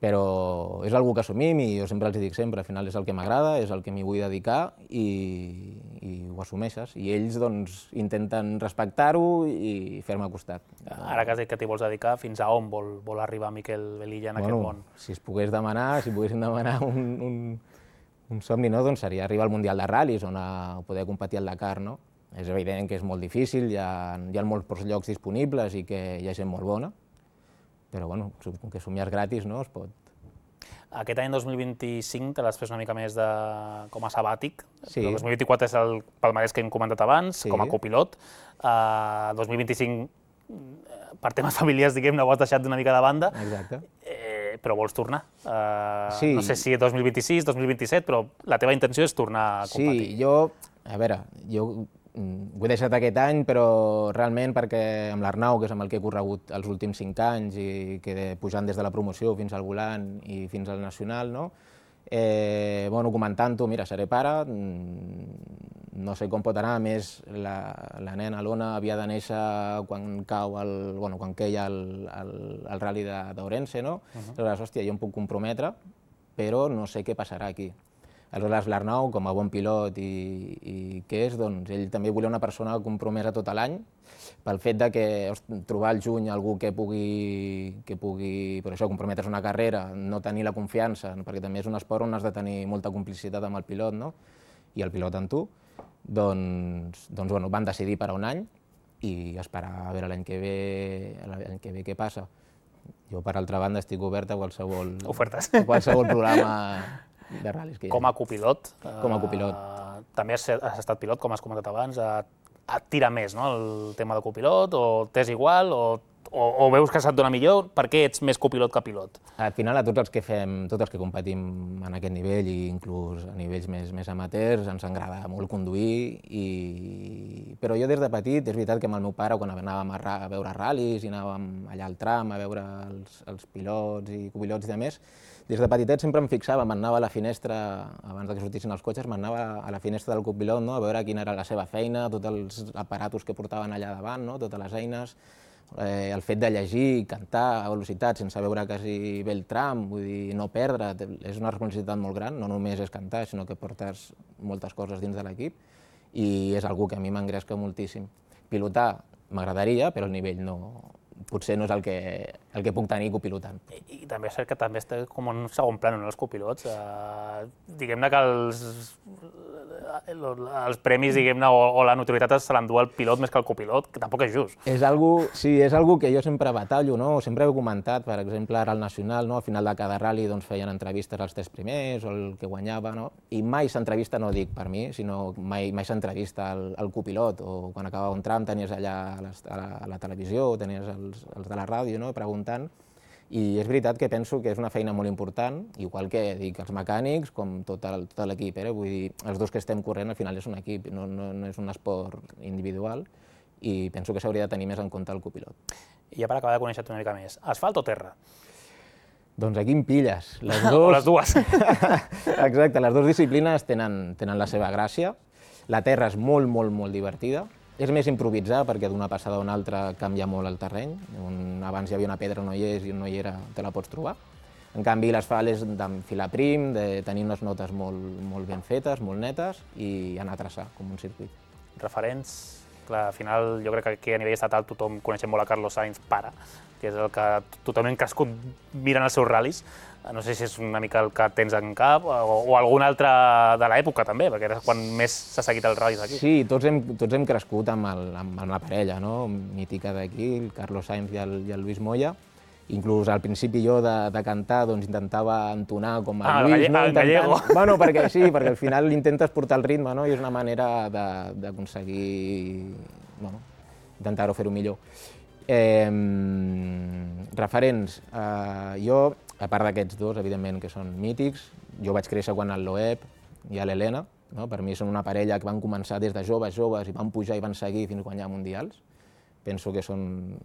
Però és una cosa que assumim i jo sempre els dic sempre, al final és el que m'agrada, és el que m'hi vull dedicar i, i ho assumeixes. I ells doncs, intenten respectar-ho i fer-me costat. Ara que has dit que t'hi vols dedicar, fins a on vol, vol arribar Miquel Velilla en bueno, aquest món? Si es pogués demanar, si poguéssim demanar un, un, un somni, no? Doncs seria arribar al Mundial de Ral·lis, on a poder competir al Dakar. No? És evident que és molt difícil, hi ha, hi ha molts llocs disponibles i que hi ha gent molt bona, però bueno, com que somiar gratis, no, es pot. Aquest any dos mil vint-i-cinc te l'has pres una mica més de, com a sabàtic, sí. El dos mil vint-i-quatre és el palmarès que hem comentat abans, sí. Com a copilot. Uh, dos mil vint-i-cinc, per temes familiars, diguem-ne, ho has deixat d'una mica de banda. Exacte. Eh, però vols tornar. Uh, sí. No sé si dos mil vint-i-sis, dos mil vint-i-set, però la teva intenció és tornar a competir. Sí, jo, a veure, jo ho he deixat aquest any, però realment perquè amb l'Arnau, que és amb el que he corregut els últims cinc anys i que pujant des de la promoció fins al volant i fins al nacional, no? Eh, bueno, comentant-ho, mira, seré pare, no sé com pot anar, a més la, la nena, l'Ona, havia de néixer quan cau el, bueno, quan queia el, el, el rally d'Ourense, no? Uh -huh. Aleshores, hòstia, jo em puc comprometre, però no sé què passarà aquí. Aleshores, l'Arnau, com a bon pilot i, i que és, doncs, ell també volia una persona compromesa tot l'any, pel fet de que hosti, trobar al juny algú que pugui, que pugui per això, comprometre's una carrera, no tenir la confiança, perquè també és un esport on has de tenir molta complicitat amb el pilot, no? I el pilot amb tu, doncs, doncs bueno, van decidir per a un any i esperar a veure l'any que ve, l'any que ve què passa. Jo, per altra banda, estic obert a qualsevol, ofertes. A qualsevol programa de ral·lis que hi ha. Com a copilot. Com a copilot. Uh, també has, has estat pilot, com has comentat abans, uh, et tira més, no?, el tema de copilot, o t'és igual, o, o, o veus que se't dona millor, per què ets més copilot que pilot? Al final, a tots els que fem, tots els que competim en aquest nivell, i inclús a nivells més, més amateurs, ens agrada molt conduir, i... però jo des de petit, és veritat que amb el meu pare, quan anàvem a, a veure ral·lis i anàvem allà al tram a veure els, els pilots i copilots i de més, des de petitet sempre em fixava, m'anava a la finestra, abans que sortissin els cotxes, m'anava a la finestra del copilot, no?, a veure quina era la seva feina, tots els aparatos que portaven allà davant, no?, totes les eines, eh, el fet de llegir, cantar a velocitat sense veure quasi bé el tram, vull dir, no perdre, és una responsabilitat molt gran, no només és cantar, sinó que portes moltes coses dins de l'equip, i és algo que a mi m'engresca moltíssim. Pilotar m'agradaria, però el nivell no... potser no és el que, el que puc tenir copilotant. I, I també és cert que també està com en un segon plano, no, els copilots. Uh, diguem-ne que els, els premis, diguem-ne, o, o la notorietat se l'endú el pilot més que el copilot, que tampoc és just. És algo, sí, és algo que jo sempre batallo, no? Sempre he comentat, per exemple, ara al Nacional, no? Al final de cada rally doncs, feien entrevistes als tres primers o el que guanyava, no? I mai s'entrevista, no dic per mi, sinó mai, mai s'entrevista al, al copilot, o quan acabava un tram tenies allà a, les, a, la, a la televisió, tenies els, els de la ràdio, no?, preguntant, I és veritat que penso que és una feina molt important, igual que dic els mecànics, com tot l'equip. Vull dir, els dos que estem corrent al final és un equip, no, no, no és un esport individual, i penso que s'hauria de tenir més en compte el copilot. I ja per acabar de conèixer-te una mica més, asfalt o terra? Doncs aquí em pilles. Les dos... O les dues. Exacte, les dues disciplines tenen, tenen la seva gràcia. La terra és molt, molt, molt divertida. És més improvisar, perquè d'una passada a una altra canvia molt el terreny. On abans hi havia una pedra, no hi és, i no hi era, te la pots trobar. En canvi, l'asfalt és d'enfilar prim, de tenir unes notes molt, molt ben fetes, molt netes, i anar a traçar, com un circuit. Referents? Clar, al final jo crec que aquí a nivell estatal tothom coneixem molt a Carlos Sainz, pare, que és el que tothom hem crescut mirant els seus ral·lis. No sé si és una mica el que tens en cap, o, o algun altre de l'època també, perquè era quan més s'ha seguit els ral·lis aquí. Sí, tots hem, tots hem crescut amb, el, amb, amb la parella, no? Mítica d'aquí, el Carlos Sainz i el, i el Luis Moya. Inclús al principi jo de, de cantar doncs, intentava entonar com el ah, Luis. El, no? el gallego. Bueno, perquè sí, perquè al final intentes portar el ritme, no? I és una manera d'aconseguir, bueno, intentar-ho fer-ho millor. Eh, referents, eh, jo, a part d'aquests dos, evidentment, que són mítics, jo vaig créixer quan el Loeb i l'Helena, no? Per mi són una parella que van començar des de joves, joves, i van pujar i van seguir fins a guanyar mundials. Penso que són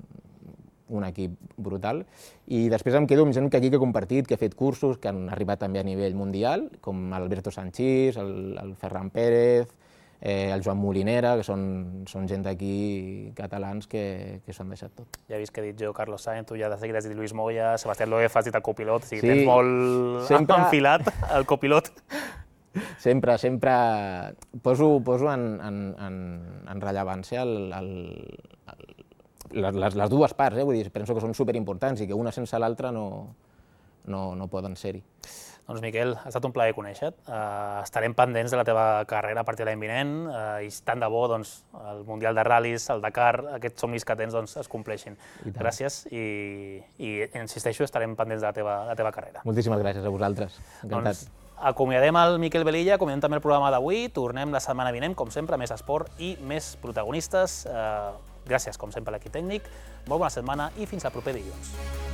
un equip brutal. I després em quedo amb gent que aquí que he compartit, que he fet cursos, que han arribat també a nivell mundial, com Alberto Sanchís, el, el Ferran Pérez, eh, el Joan Molinera, que són, són gent d'aquí catalans que, que s'ho han deixat tot. Ja he vist que he dit jo Carlos Sainz, tu ja de seguida has dit Luis Moya, Sebastián Loeb, has dit el copilot, o sigui, sí, tens molt sempre... enfilat el copilot. Sempre, sempre poso, poso en, en, en, en rellevància el, el, el, les, les dues parts, eh? Vull dir, penso que són superimportants i que una sense l'altra no, no, no poden ser-hi. Doncs Miquel, ha estat un plaer conèixer-te. Uh, estarem pendents de la teva carrera a partir de l'any vinent uh, i tant de bo doncs, el Mundial de Ral·lis, el Dakar, aquests somnis que tens doncs, es compleixin. Gràcies i, i insisteixo, estarem pendents de la teva, de la teva carrera. Moltíssimes gràcies a vosaltres. Encantat. Doncs, acomiadem el Miquel Velilla, acomiadem també el programa d'avui, tornem la setmana vinent, com sempre, més esport i més protagonistes. Uh, gràcies, com sempre, a l'equip tècnic, molt bona setmana i fins al proper dilluns.